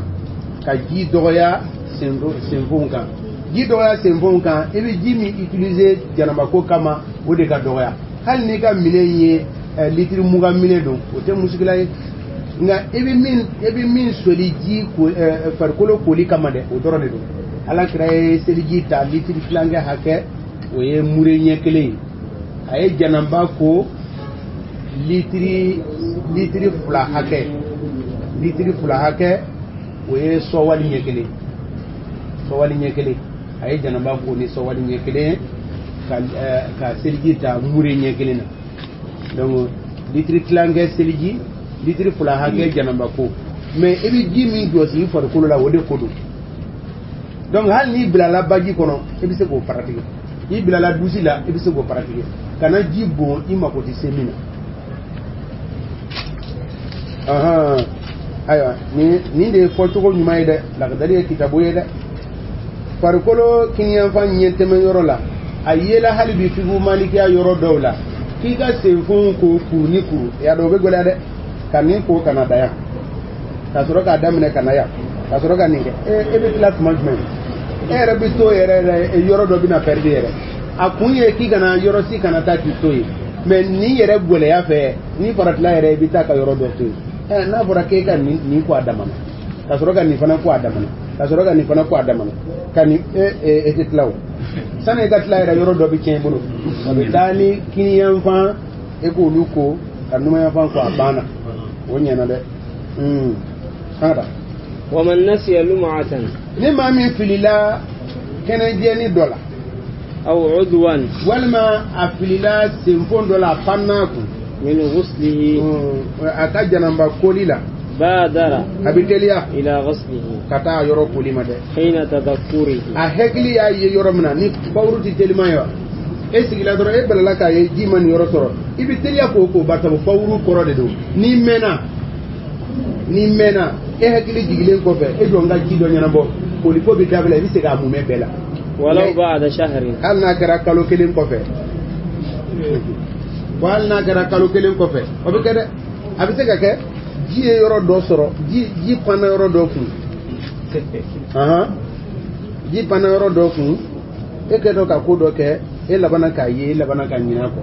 ka ji dɔgɔya senfɛnw kan. Ji dɔgɔya senfɛnw kan, i bɛ ji min utiliser janabako kama, o de ka dɔgɔya. Hali n'i ka minɛn ye litiri 20 minɛn don, o tɛ musikila ye. Nka i bɛ min soli ji ko farikolo koli kama dɛ, o dɔrɔn de don. Ala kira ye seliji ta litiri tilankɛ hakɛ, o ye mure ɲɛ kelen ye. A ye janaba ko litiri 2 hakɛ, litiri 2 hakɛ, o ye sɔwali ɲɛ kelen, sɔwali ɲɛ kelen. A ye janaba ko ni sɔwali ɲɛ kelen ka seliji ta mure ɲɛ kelen na. Donc litiri tilankɛ seliji, litiri 2 hakɛ janaba ko. Mais i bɛ ji min jɔsi i farikolo la, o de ko don. Donc hali n'i bilala baji kɔnɔ, i bɛ se k'o pratiquer. I bilala dusi la, i bɛ se k'o pratiquer. Kana ji bon i mako tɛ se min na. Ayiwa, nin de ye fɔcogo ɲuman ye dɛ. Lakadari ye kitabu ye dɛ. Farikolo kiniyanfan ɲɛtɛmɛ yɔrɔ la, a yela hali bi figu malikiya yɔrɔ dɔw la, k'i ka senfɔnw ko kuru ni kuru. Ya dɔn o bɛ gɛlɛya dɛ. Ka nin ko kana da yan, ka sɔrɔ k'a daminɛ ka na yan, ka sɔrɔ ka nin kɛ. E bɛ tila tuma jumɛn? E yɛrɛ bɛ to yɛrɛ yɔrɔ dɔ bɛna pɛridi yɛrɛ. A kun ye k'i kana yɔrɔ si kana taa k'i to yen. Mais nin yɛrɛ gɛlɛya fɛ, ni faratila yɛrɛ i bɛ taa ka yɔrɔ dɔ to yen. N'a fɔra k'e ka nin ko a damana, ka sɔrɔ ka nin fana ko a damana, ka sɔrɔ ka nin fana ko a damana, ka nin e tɛ tila o. Sani i ka tila yɛrɛ, yɔrɔ dɔ bɛ tiɲɛ i bolo. A bɛ taa ni kiniyanfan, e k'olu ko ka numanyanfan ko, a banna. O ɲɛna dɛ. An ka taa. Waman nasiya lum'atan. Ni maa min filila kɛnɛjɛni dɔ la, aw udwan, walima a filila senfon dɔ la, a panna kun, min ghuslihi, a ka janaba koli la, badara, a bɛ teliya, ila ghuslihi, ka taa yɔrɔ koli ma dɛ, hina tadhakkurihi, a hakili y'a ye yɔrɔ min na, ni bawuru tɛ teliman ye wa, e sigila dɔrɔn, e balala k'a ye ji ma nin yɔrɔ sɔrɔ, i bɛ teliya k'o ko, barisa bawuru kɔrɔ de don. N'i mɛnna, e hakili jigilen kɔfɛ, e jɔ n ka ji dɔ ɲɛnabɔ, koliko bɛ dabila, i bɛ se k'a mumɛ bɛɛ la. Walaw ba'da shahrin, hali n'a kɛra kalo kelen kɔfɛ, wa hali n'a kɛra kalo kelen kɔfɛ, o bɛ kɛ dɛ. A bɛ se ka kɛ ji ye yɔrɔ dɔ sɔrɔ, ji panna yɔrɔ dɔ kun, ji panna yɔrɔ dɔ kun, e kɛtɔ ka ko dɔ kɛ, e labanna k'a ye, e labanna ka ɲinɛ a kɔ.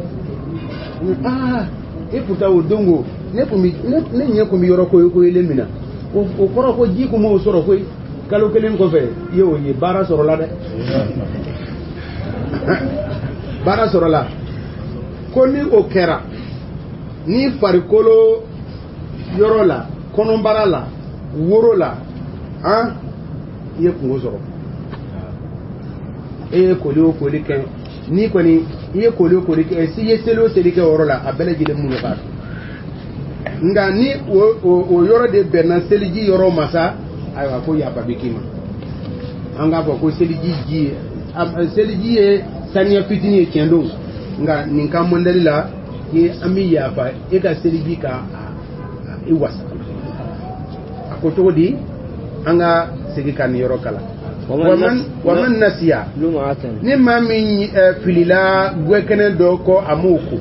E pourtant o don ko ne ɲɛ kun bɛ yɔrɔ koyekoyelen min na, o kɔrɔ ko ji kun m'o sɔrɔ koyi. Kalo kelen kɔfɛ, i y'o ye, baara sɔrɔla dɛ. Baara sɔrɔla. Ko ni o kɛra, ni farikolo yɔrɔ la, kɔnɔbara la, woro la, i ye kungo sɔrɔ. E ye koli o koli kɛ, n'i kɔni i ye koli o koli kɛ, si ye seli o seli kɛ o yɔrɔ la, a bɛɛ lajɛlen mun k'a dun. Nka ni o yɔrɔ de bɛnna seliji yɔrɔ ma sa, ayiwa ko yafa bɛ k'i ma. An k'a fɔ ko seliji ji ye, seliji ye saniya fitinin ye tiɲɛ don, nka nin ka mɔndɛli la, an bɛ yafa e ka seliji ka i wasa. A ko cogo di? An ka segin ka nin yɔrɔ kalan. Waman nasiya, ni maa min filila gwɛkɛnɛ dɔ kɔ, a m'o ko,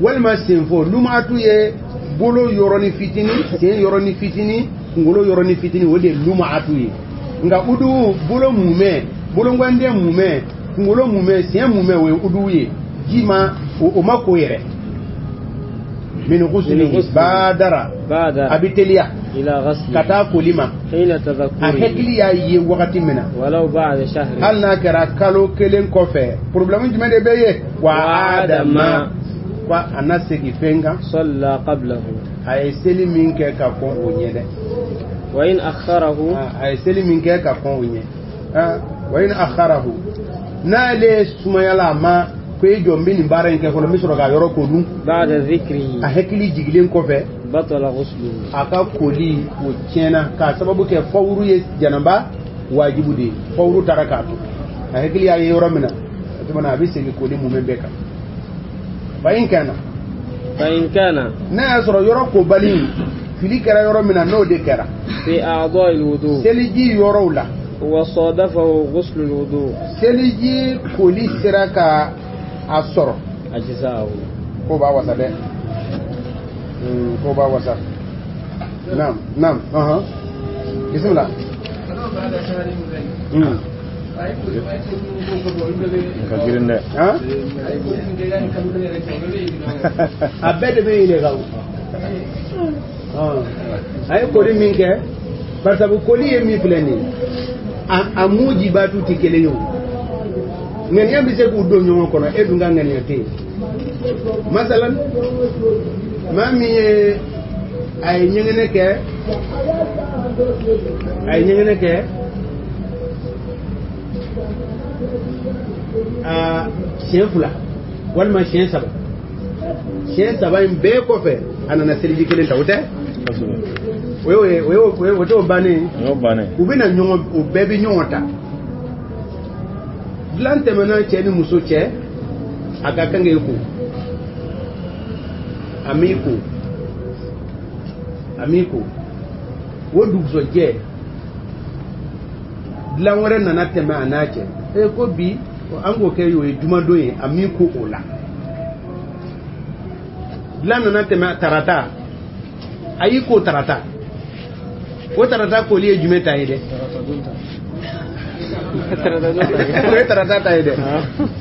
walima senfo. Lumatu ye bolo yɔrɔnin fitinin, sen yɔrɔnin fitinin, kunkolo yɔrɔnin fitinin, o de ye lumatu ye. Nka udu, bolo mumɛ, bolongwanden mumɛ, kunkolo mumɛ, sen mumɛ, o ye udu ye. Ji ma o ma ko yɛrɛ. Min ghuslihi badara, a bɛ teliya ka taa koli ma, a hakili y'a ye wagati min na, hali n'a kɛra kalo kelen kɔfɛ. Problème jumɛn de bɛ yen? Wa adama, ko a na segin fɛn kan, a ye seli min kɛ ka kɔn o ɲɛ dɛ. Wa in akharahu, a ye seli min kɛ ka kɔn o ɲɛ. Wa in akharahu, n'ale sumayala a ma ko e jɔ n bɛ nin baara in kɛ fɔlɔ, n bɛ sɔrɔ k'a yɔrɔ ko dun. Ba'da dhikrihi, a hakili jigilen kɔfɛ, batala ghusluhu, a ka koli o tiɲɛna, k'a sababu kɛ fawuru ye janaba wajibu de ye. Fawuru taara k'a to, a hakili y'a ye yɔrɔ min na, o tuma na a bɛ segin koli mumɛ bɛɛ kan. Fa in kana, n'a y'a sɔrɔ yɔrɔ kobali fili kɛra yɔrɔ min na, n'o de kɛra fi a'dha'il wudu, seliji yɔrɔw la, wa sadafahu ghuslul wudu, seliji koli sera ka a sɔrɔ, ajza'ahu, ko b'a wasa dɛ. Ko b'a wasa. Naam, naam, bismillah. Ka girin dɛ. A bɛɛ de bɛ yɛlɛ kan. A ye koli min kɛ, barisa koli ye min filɛ nin ye, a mujibatu tɛ kelen ye o. Ŋaniya bɛ se k'u don ɲɔgɔn kɔnɔ, e dun ka ŋaniya tɛ yen. Masalan maa min ye a ye ɲɛgɛnɛ kɛ, a ye ɲɛgɛnɛ kɛ a siɲɛ 2 walima siɲɛ 3, siɲɛ 3 in bɛɛ kɔfɛ a nana seliji kelen ta, o tɛ? O t'o bannen ye. U bɛna ɲɔgɔn, u bɛɛ bɛ ɲɔgɔn ta. Dilan tɛmɛna cɛ ni muso cɛ, a ka kan k'e ko, a m'i ko, a m'i ko, o dugusɛjɛ dilan wɛrɛ nana tɛmɛ a n'a cɛ. E ko bi an k'o kɛ o ye jumadon ye, a m'i ko o la. Dilan nana tɛmɛ tarata, a y'i ko tarata. O tarata koli ye jumɛn ta ye dɛ? O ye tarata ta ye dɛ.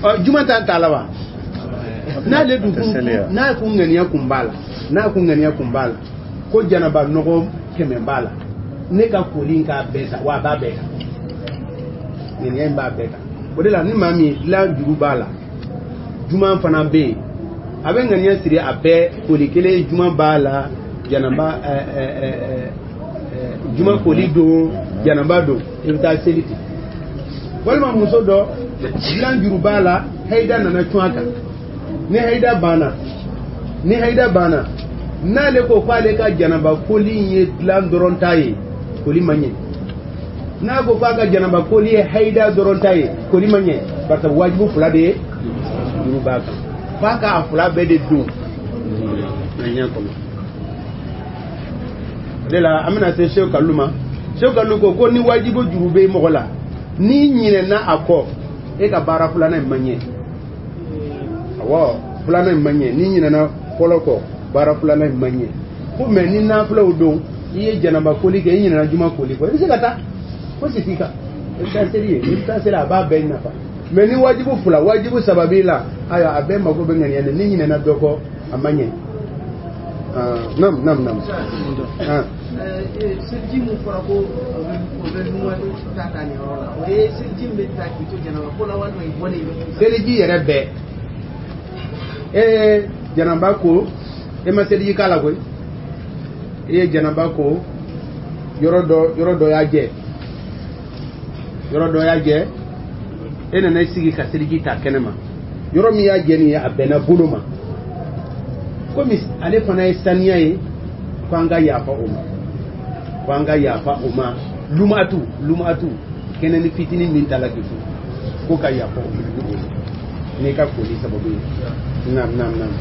Ɔ juma ta t'a la wa? N'ale dun kun, n'a kun ŋaniya kun b'a la, n'a kun ŋaniya kun b'a la ko janaba nɔgɔ 100 b'a la, ne ka koli in k'a bɛɛ ta wa, a b'a bɛɛ ta, ŋaniya in b'a bɛɛ ta. O de la ni maa min dilan juru b'a la, juma fana bɛ yen, a bɛ ŋaniya siri a bɛɛ koli kelen, juma b'a la, janaba juma koli don, janaba don, i bɛ taa seli ten. Walima muso dɔ dilan juru b'a la, hayida nana cun a kan, ni hayida banna, ni hayida banna, n'ale ko k'ale ka janaba koli in ye dilan dɔrɔn ta ye, koli ma ɲɛ. N'a ko k'a ka janaba koli ye hayida dɔrɔn ta ye, koli ma ɲɛ, parce que wajibu 2 de ye juru b'a kan, f'a k'a 2 bɛɛ de don ŋaniya kɔnɔ. O de la an bɛna se Seku Kalilu ma. Seku Kalilu ko ko ni wajibu juru bɛ mɔgɔ la, n'i ɲinɛna a kɔ, e ka baara filanan in ma ɲɛ. Awɔ, filanan in ma ɲɛ. N'i ɲinɛna fɔlɔ kɔ, baara filanan in ma ɲɛ. Ko mɛ ni nafilaw don, i ye janaba koli kɛ, i ɲinɛna juma koli kɔ, i bɛ se ka taa fosi t'i kan, i bɛ taa seli ye, i bɛ taa seli, a b'a bɛɛ nafa. Mɛ ni wajibu 2, wajibu 3 b'i la, ayiwa a bɛɛ mako bɛ ŋaniya na, n'i ɲinɛna dɔ kɔ, a ma ɲɛ. Nam nam nam. Seliji mun fɔra ko o bɛ numan ta ta nin yɔrɔ la, o ye seliji min bɛ ta k'i to janaba ko la walima i bɔlen i bɛ. Seliji yɛrɛ bɛɛ, e janaba ko, e ma seliji k'a la koyi, e ye janaba ko, yɔrɔ dɔ y'a jɛ, yɔrɔ dɔ y'a jɛ, e nana i sigi ka seliji ta kɛnɛ ma, yɔrɔ min y'a jɛ nin ye, a bɛnna bolo ma. Komi ale fana ye saniya ye, ko an ka yafa o ma, ko an ka yafa o ma. Lumatu, lumatu kɛnɛ ni fitinin min ta la k'i furu, ko ka yafa o ma n'i ka koli sababu ye. Naam naam naam.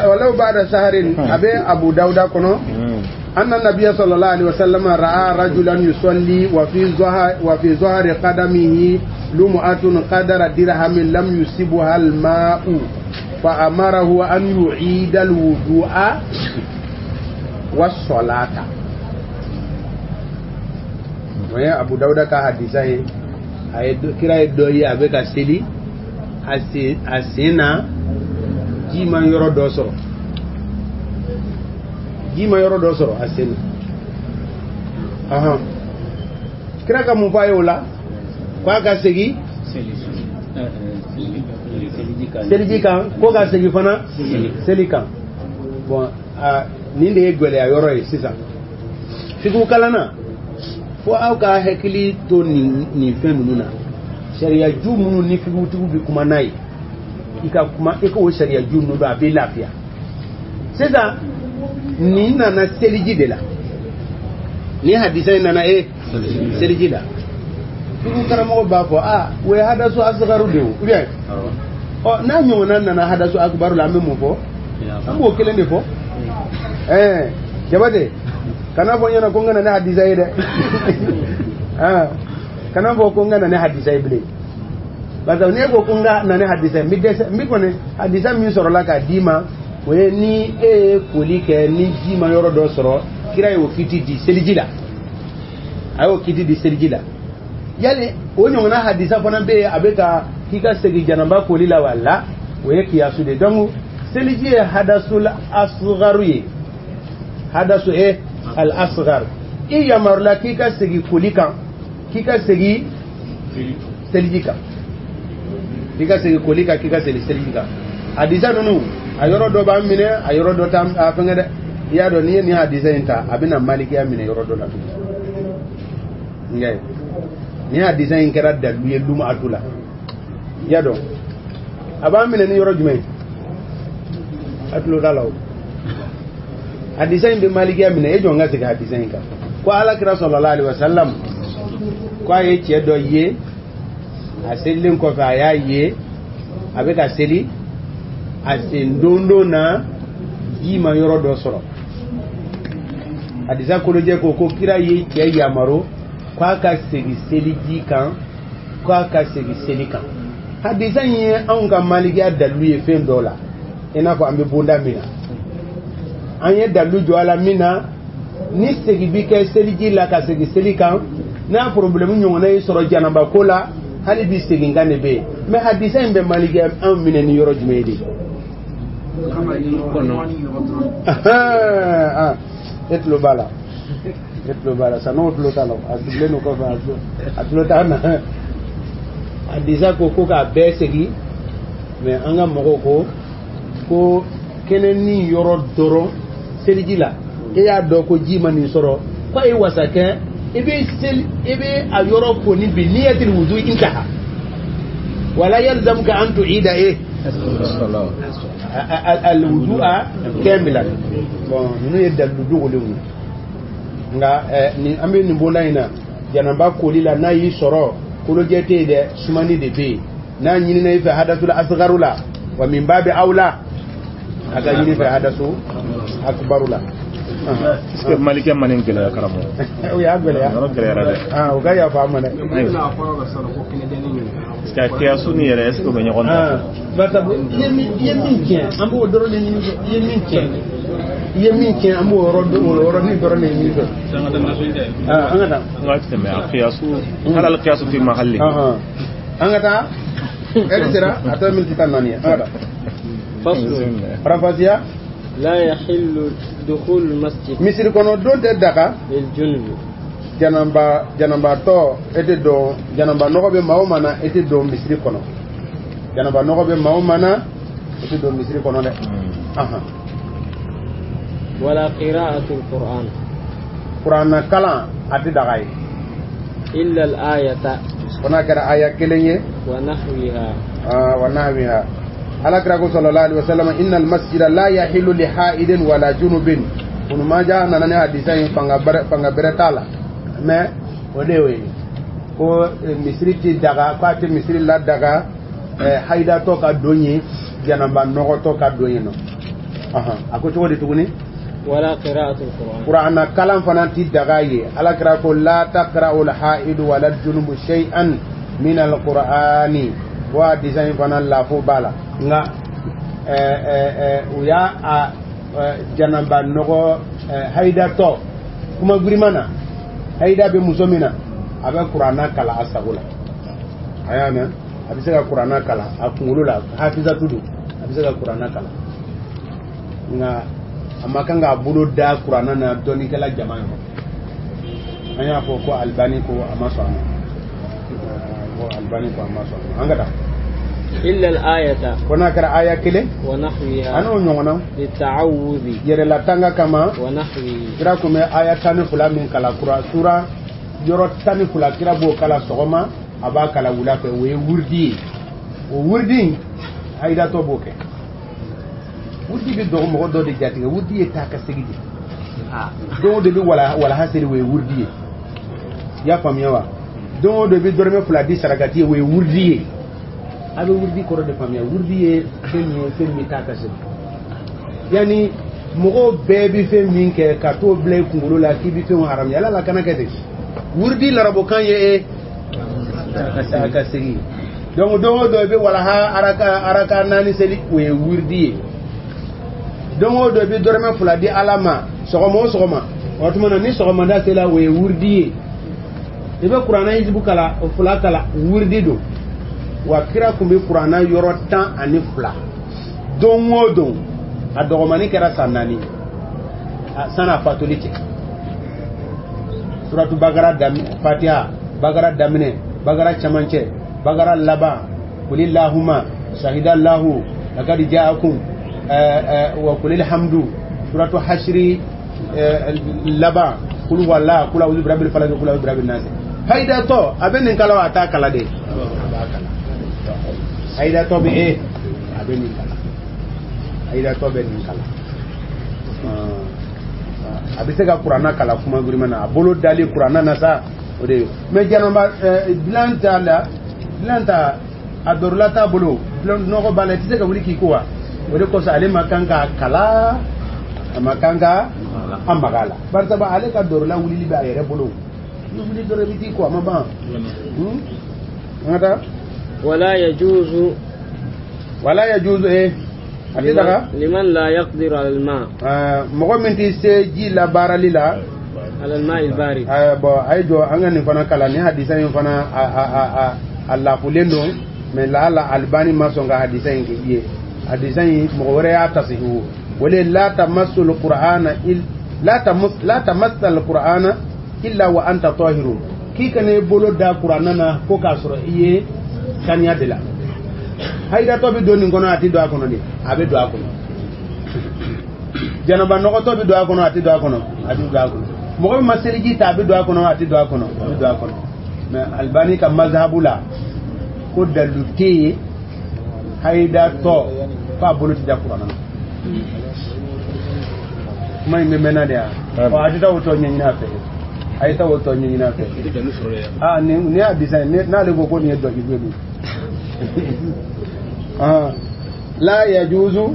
Walaw ba'da shahrin, a bɛ Abu Dawuda kɔnɔ. أن النبي صلى الله عليه وسلم رأى رجلا يصلي وفي ظهر قدمه لمعة قدر درهم لم يصبها الماء فأمره أن يعيد الوضوء والصلاة. ويا أبو داود كحديثه kira ye dɔ ye a bɛ ka seli, a sen na ji ma yɔrɔ dɔ sɔrɔ, ji ma yɔrɔ dɔ sɔrɔ a sen na. Ahan, kira ka mun fɔ a ye o la? K'a ka segin seliji kan, ko ka segin fana seli kan. Bon, nin de ye gɛlɛya yɔrɔ ye sisan. Fikihu kalanna, fo aw ka hakili to nin fɛn ninnu na. Sariya ju minnu ni fikihutigiw bɛ kuma n'a ye, i ka kuma, i k'o sariya ju ninnu dɔn, a b'i lafiya. Sisan nin nana seliji de la, nin hadisa in nana seliji la. Fikihu karamɔgɔ b'a fɔ a o ye hadasu asgaru de ye o, ou bien ɔ n'a ɲɔgɔnna nana hadasu akbaru la, an bɛ mun fɔ? An b'o kelen de fɔ. Jabate, kana fɔ n ɲɛna ko n ka na ne hadisa ye dɛ. Kana fɔ ko n ka na ne hadisa ye bilen, parce que n'e ko ko n ka na ne hadisa ye, n bɛ dɛsɛ. N bɛ kɔni hadisa min sɔrɔla k'a d'i ma, o ye ni e ye koli kɛ ni ji ma yɔrɔ dɔ sɔrɔ, kira y'o kiti di seliji la, a y'o kiti di seliji la. Yali o ɲɔgɔnna hadisa fana bɛ yen, a bɛ ka k'i ka segin janaba koli la wa? La, o ye kiyasu de. Donc seliji ye hadasul asgaru ye, hadasu al asgar. I yamarula k'i ka segin koli kan, k'i ka segin seliji kan, k'i ka segin koli kan, k'i ka segin seliji kan. Hadisa ninnu a yɔrɔ dɔ b'an minɛ, a yɔrɔ dɔ t'an a fɛngɛ dɛ. I y'a dɔn n'i ye nin hadisa in ta, a bɛna malikiya minɛ yɔrɔ dɔ la tuguni. Nka nin hadisa in kɛra dalilu ye lumatu la. I y'a dɔn a b'an minɛ ni yɔrɔ jumɛn ye? A tulo t'a la o. Hadisa in bɛ malikiya minɛ. E jɔ n ka segin hadisa in kan. Ko ala kira sallallahu alaihi wasallam ko a ye cɛ dɔ ye, a selilen kɔfɛ a y'a ye a bɛ ka seli, a sen dondon na ji ma yɔrɔ dɔ sɔrɔ. Hadisa kolojɛ ko ko kira ye cɛ yamaru k'a ka segin seliji kan, k'a ka segin seli kan. Hadisa in ye anw ka malikiya dalilu ye fɛn dɔ la, i n'a fɔ an bɛ bonda min na, an ye dalilu jɔ a la min na, ni segin bi kɛ seliji la ka segin seli kan, n'a problème ɲɔgɔnna y'i sɔrɔ janaba ko la, hali bi segin kan de bɛ yen. Mais hadisa in bɛ malikiya anw minɛ ni yɔrɔ jumɛn ye de? E tulo b'a la, e tulo b'a la, san'o tulo t'a la, a sigilen don kɔfɛ, a tulo t'a na. Hadisa ko ko k'a bɛɛ segin, mais an ka mɔgɔw ko ko kɛnɛ ni yɔrɔ dɔrɔn seliji la, e y'a dɔn ko ji ma nin sɔrɔ, ko a ye wasa kɛ, i bɛ seli, i bɛ a yɔrɔ ko ni bi niyatil wudu intaha wala yalzamuka an tu'ida e alwudu'a kamilan. Bon, ninnu ye dalilu dogolenw ye. Nka nin an bɛ nin bonda in na, janaba koli la n'a y'i sɔrɔ, kolojɛ tɛ yen dɛ, sumani de bɛ yen. N'a ɲinina i fɛ hadasul asgaru la, wa min babi awla a ka ɲini fɛ hadasu akbaru la. Est-ce que malikɛ ma nin gɛlɛya karamɔgɔ? O y'a gɛlɛya. Yɔrɔ gɛlɛyara dɛ. O ka yafa an ma dɛ. Parce que a kiyasu ni yɛrɛ, est-ce que o bɛ ɲɔgɔn ta? Barisa i ye min tiɲɛ, an b'o dɔrɔn de ɲini fɛ. I ye min tiɲɛ, i ye min tiɲɛ, an b'o yɔrɔnin dɔrɔn de ɲini fɛ. An ka taa. An ka tɛmɛ a kiyasu, hali al kiyasu fi mahalli. An ka taa. Ɛri sera a tɔ miniti 14 ye. An ka taa. Faranfasiya. لا يحل دخول المسجد misiri kɔnɔ don tɛ daga للجنب janaba janabatɔ e tɛ don, janaba nɔgɔ bɛ maa o maa na e tɛ don misiri kɔnɔ, janaba nɔgɔ bɛ maa o maa na e tɛ don misiri kɔnɔ dɛ. ولا قراءة القرآن kuranna kalan a tɛ daga ye إلا الآية fo n'a kɛra aya kelen ye ونحوها wa nahwiha. Ala kira ko sallallahu alaihi wasallam innal masjida la yahillu li haidin wala junubin. Ibn Majah nana ni hadisa in fanga bɛrɛ t'a la, mais o de y'o ye ko misiri ti daga, k'a tɛ misiri la daga hayidatɔ ka don yen, janaba nɔgɔtɔ ka don yen nɔ. A ko cogo di tuguni? Wala qira'atul Qur'an. Qur'ana kalan fana ti daga ye. Ala kira ko la taqra'ul haidu wala junubu shay'an min al-Qur'ani. Wa hadisa in fana lafo b'a la, nka u y'a a janaba nɔgɔ hayidatɔ kuma girinman na, hayida bɛ muso min na, a bɛ kuranna kalan a sago la. A y'a mɛn, a bɛ se ka kuranna kalan a kunkolo la, hafizatu don, a bɛ se ka kuranna kalan, nka a ma kan k'a bolo da kuranna na dɔnnikɛla jama yɔrɔ. An y'a fɔ ko Albani ko a ma sɔn a ma, ko Albani ko a ma sɔn a ma. An ka taa. إلا الآية ko n'a kɛra aya kelen ونحوها an'o ɲɔgɔnna للتعوذ yɛrɛlatanga kama ونحوه. Kira kun bɛ aya 12 min kalan, kura sura yɔrɔ 12 kira b'o kalan sɔgɔma, a b'a kalan wula fɛ, o ye wurudi ye. O wurudi in hayidatɔ b'o kɛ. Wurudi bɛ dɔgɔ mɔgɔ dɔ de jatigɛ, wurudi ye taa ka segin de. Don o don bɛ walaha seli, o ye wurudi ye. I y'a faamuya wa? Don o don bɛ dɔrɔmɛ 2 di sarakati ye, o ye wurudi ye. A bɛ wurudi kɔrɔ de faamuya. Wurudi ye fɛn min ye, fɛn min bɛ taa ka segin. Yanni mɔgɔw bɛɛ bɛ fɛn min kɛ ka t'o bila i kunkolo la k'i bɛ fɛnw haramuya, ala la kana kɛ ten. Wurudi larabukan ye taa ka segin. Donc don o don i bɛ walaha araka 4 seli, o ye wurudi ye. Don o don i bɛ dɔrɔmɛ 2 di ala ma sɔgɔma o sɔgɔma, o tuma na ni sɔgɔmada sera, o ye wurudi ye. I bɛ kuranna hizibu kalan, o 2 kalan, wurudi don. Wa kira kun bɛ kuranna yɔrɔ 12 don o don, a dɔgɔmani kɛra san 4 san'a fatuli cɛ. Suratu Bakara daminɛ, Fatiha, Bakara daminɛ, Bakara camancɛ, Bakara laban kulillahuma shahidallahu laqad ja'akum wa kulil hamdu suratu hashri laban kul wala kul a'udhu birabbil falaq kul a'udhu birabbin nas. Hayidatɔ a bɛ nin kala wa a t'a kala de? A b'a kala. Hayidatɔ bɛ a bɛ nin kala. Hayidatɔ bɛ nin kala. A bɛ se ka kuranna kala kuma girinma na, a bolo dali kuranna na sa o de ye. Mais janaba dilan t'a la, dilan ta a dɔrɔla t'a bolo, nɔgɔ b'a la, i tɛ se ka wuli k'i ko wa. O de kosɔn ale ma kan k'a kala, a ma kan ka a maga a la. Barisa ale ka dɔrɔla wulili bɛ a yɛrɛ bolo. Ni wuli dɔrɔn i bɛ t'i ko a ma ban. An ka taa. Wala yajuzu. Wala yajuzu a tɛ daga. Liman la yaqdiru ala al-ma. Mɔgɔ min tɛ se ji labaarali la. Ala al-ma al-barid. Bon a ye jɔ an ka nin fana kalan, nin hadisa in fana a lafulen don, mais laala Albani ma sɔn ka hadisa in k'i ye. Hadisa in mɔgɔ wɛrɛ y'a tasihu. O le la tamassul qur'ana la tamassal qur'ana illa wa anta tahirun. K'i kana i bolo da kuranna na ko k'a sɔrɔ i ye saniya de la. Hayidatɔ bɛ don nin kɔnɔ, a tɛ don a kɔnɔ de, a bɛ don a kɔnɔ. Janaba nɔgɔtɔ bɛ don a kɔnɔ, a tɛ don a kɔnɔ, a bɛ don a kɔnɔ. Mɔgɔ min ma seliji ta, a bɛ don a kɔnɔ, a tɛ don a kɔnɔ, a bɛ don a kɔnɔ. Mais Albani ka mazhabu la ko dalilu tɛ yen hayidatɔ f'a bolo tɛ da kuranna na. Kuma in bɛ mɛnna de ya. Ɔ a tɛ taa o tɔ ɲɛɲini a fɛ. A ye taa o tɔ ɲɛɲini a fɛ. Aa nin y'a disa ye, n'ale ko ko nin ye dɔnkili ye dun. La yajuzu,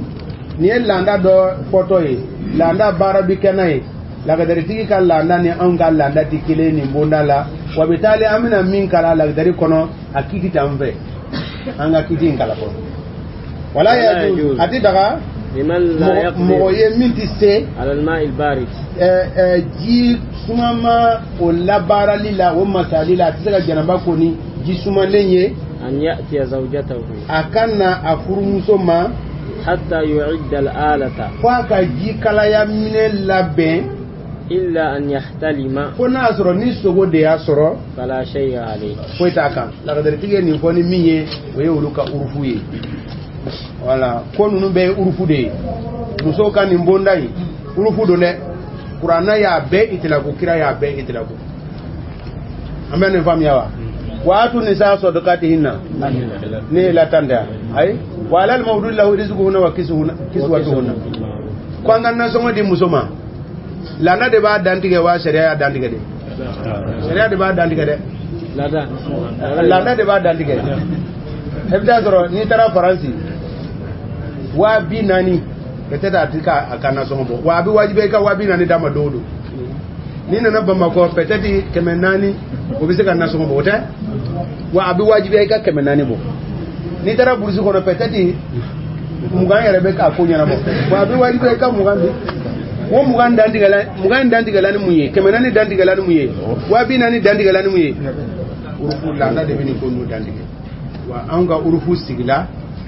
nin ye laada dɔ fɔtɔ ye, laada baara bi kɛ n'a ye. Lagadaritigi ka laada ni anw ka laada tɛ kelen nin bonda la. Wa bi taali an bɛna min kalan lagadari kɔnɔ, a kiti t'an fɛ, an ka kiti in kalan fɔlɔ. Wala yajuzu, a tɛ daga mɔgɔ ye min tɛ se ji sumama o labaarali la, o masali la, a tɛ se ka janaba ko ni ji sumalen ye. An ya'tiya zawjatahu, a ka na a furumuso ma. Hatta yu'idda al-alata, fo a ka ji kalaya minɛ labɛn. Illa an yahtalima, fo n'a y'a sɔrɔ ni sogo de y'a sɔrɔ. Fala shay'a alayhi, foyi t'a kan. Lagadaritigi ye nin fɔ ni min ye, o ye olu ka urufu ye. Wala ko ninnu bɛɛ ye urufu de ye. Musow ka nin bonda in urufu don dɛ. Kuranna y'a bɛɛ itilaku, kira y'a bɛɛ itilaku. An bɛ nin faamuya wa? Wa atu nisa sadaqatihinna ne la tanda ayi wa alal mawlud lahu rizquhunna wa kiswatuhunna. Ko an ka nasɔngɔ di muso ma, laada de b'a dantigɛ wa sariya y'a dantigɛ de? Sariya de b'a dantigɛ dɛ. Laada de b'a dantigɛ. E bɛ taa sɔrɔ n'i taara Faransi 40,000 peut-être a ti ka a ka nasɔngɔ bɔ, wa a bɛ wajibiya i ka 40,000 d'a ma don o don. N'i nana Bamakɔ peut-être 400 o bɛ se ka nasɔngɔ bɔ, o tɛ? Wa a bɛ wajibiya i ka 400 bɔ. N'i taara burusi kɔnɔ peut-être 20 yɛrɛ bɛ k'a ko ɲɛnabɔ, wa a bɛ wajibiya i ka 20 di. O 20 dantigɛla, 20 dantigɛla ni mun ye? 400 dantigɛla ni mun ye? 40,000 dantigɛla ni mun ye? Urufu laada de bɛ nin ko ninnu dantigɛ. Wa anw ka urufu sigila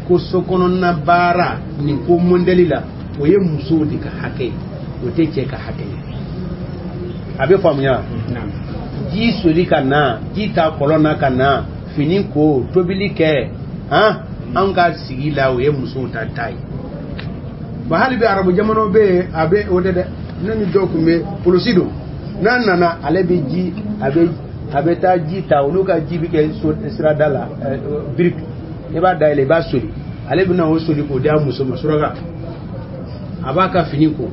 ko sokɔnɔna baara nin ko mɔndɛli la, o ye musow de ka hakɛ ye, o tɛ cɛ ka hakɛ ye. A bɛ faamuya? Ji soli ka na, ji ta kɔlɔn na ka na, fini ko, tobili kɛ, han, anw ka sigi la o ye musow ta ta ye. Wa hali bi arabu jamanaw bɛ yen, a bɛ o de dɛ. Ne ni dɔw tun bɛ polisi don, n'a nana ale bɛ ji, a bɛ taa ji ta, olu ka ji bɛ kɛ sirada la, biriki, i b'a dayɛlɛ i b'a soli, ale bɛ na o soli k'o di a muso ma suraka, a b'a ka fini ko.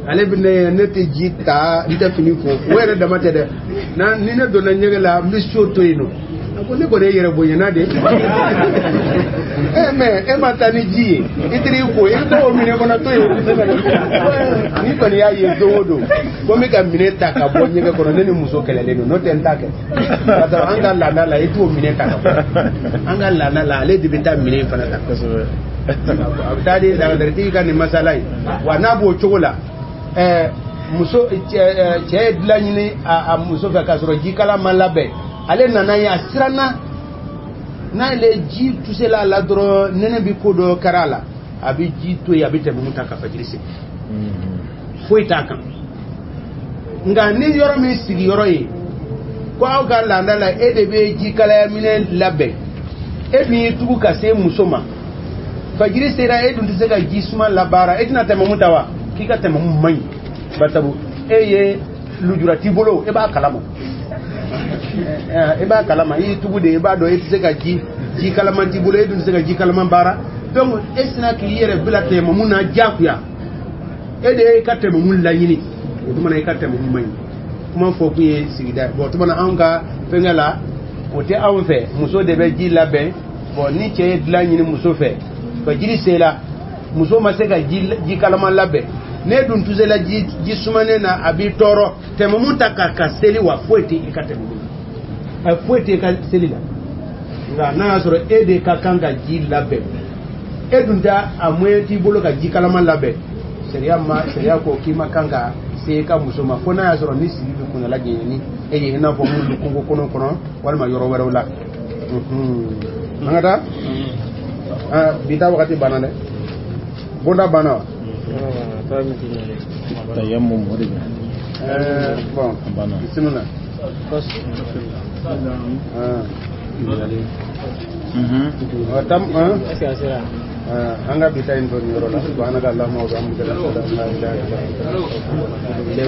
Ale bɛ ne tɛ ji ta, n tɛ fini ko, o yɛrɛ dama tɛ dɛ. Ni ne donna ɲɛgɛn la, n bɛ so to yen nɔ. A ko ne kɔni ye yɛrɛ bonyana de. Mais e ma taa ni ji ye, i taara i ko, i bɛ taa o minɛ kɔnɔ to yen. Ni kɔni y'a ye don o don, ko n bɛ ka minɛ ta ka bɔ ɲɛgɛn kɔnɔ, ne ni muso kɛlɛlen don, n'o tɛ n t'a kɛ. Parce que an ka laada la, i t'o minɛ ta ka bɔ. An ka laada la, ale de bɛ taa minɛ in fana ta. A bɛ taa di lagadaritigi ka nin masala in. Wa n'a b'o cogo la, muso cɛ ye dilan ɲini a muso fɛ k'a sɔrɔ jikala ma labɛn, ale nana ye, a siranna, n'ale ji tusela a la dɔrɔn nɛnɛ bɛ ko dɔ kɛra a la, a bɛ ji to yen, a bɛ tɛmɛ ta ka fajiri seli, foyi t'a kan. Nka ni yɔrɔ min sigiyɔrɔ ye Ko aw ka laada la, e de bɛ ji kalaya minɛn labɛn, e dun y'i tugu ka se muso ma, fajiri sera, e dun tɛ se ka ji suma labaara, e tɛna tɛmɛmu ta wa? K'i ka tɛmɛmu man ɲi, barisabu e ye lujura t'i bolo, e b'a kalama, e b'a kalama, i y'i tugu de, i b'a dɔn e tɛ se ka ji kalaman t'i bolo, e dun tɛ se ka ji kalaman baara. Donc e sina k'i yɛrɛ bila tɛmɛmu na diyagoya, e de ye ka tɛmɛmu laɲini, o tuma na i ka tɛmɛmu man ɲi. Kuma fɔ kun ye sigida ye. Bon, o tuma na anw ka fɛnkɛ la, o tɛ anw fɛ, muso de bɛ ji labɛn. Bon, ni cɛ ye dilan ɲini muso fɛ, fajiri sera, muso ma se ka ji kalaman labɛn, ne dun tusela ji sumanen na, a b'i tɔɔrɔ, tɛmɛmu ta ka seli wa, foyi tɛ i ka tɛmɛmu na, a foyi tɛ i ka seli la. Nka n'a y'a sɔrɔ e de ka kan ka ji labɛn, e dun tɛ a moyen t'i bolo ka ji kalaman labɛn, sariya ko k'i ma kan ka se i ka muso ma, fo n'a y'a sɔrɔ ni sigi bɛ kuntala janya ni e ye, i n'a fɔ minnu bɛ kungo kɔnɔ walima yɔrɔ wɛrɛw la. An ka taa, bi ta wagati banna dɛ, bonda banna wa? Tayammum o de bɛ. Bon, bisimila. Tam an ka bi ta in to nin yɔrɔ la. Subhanaka allahumma wa bihamdika, ashhadu an la ilaha illa anta.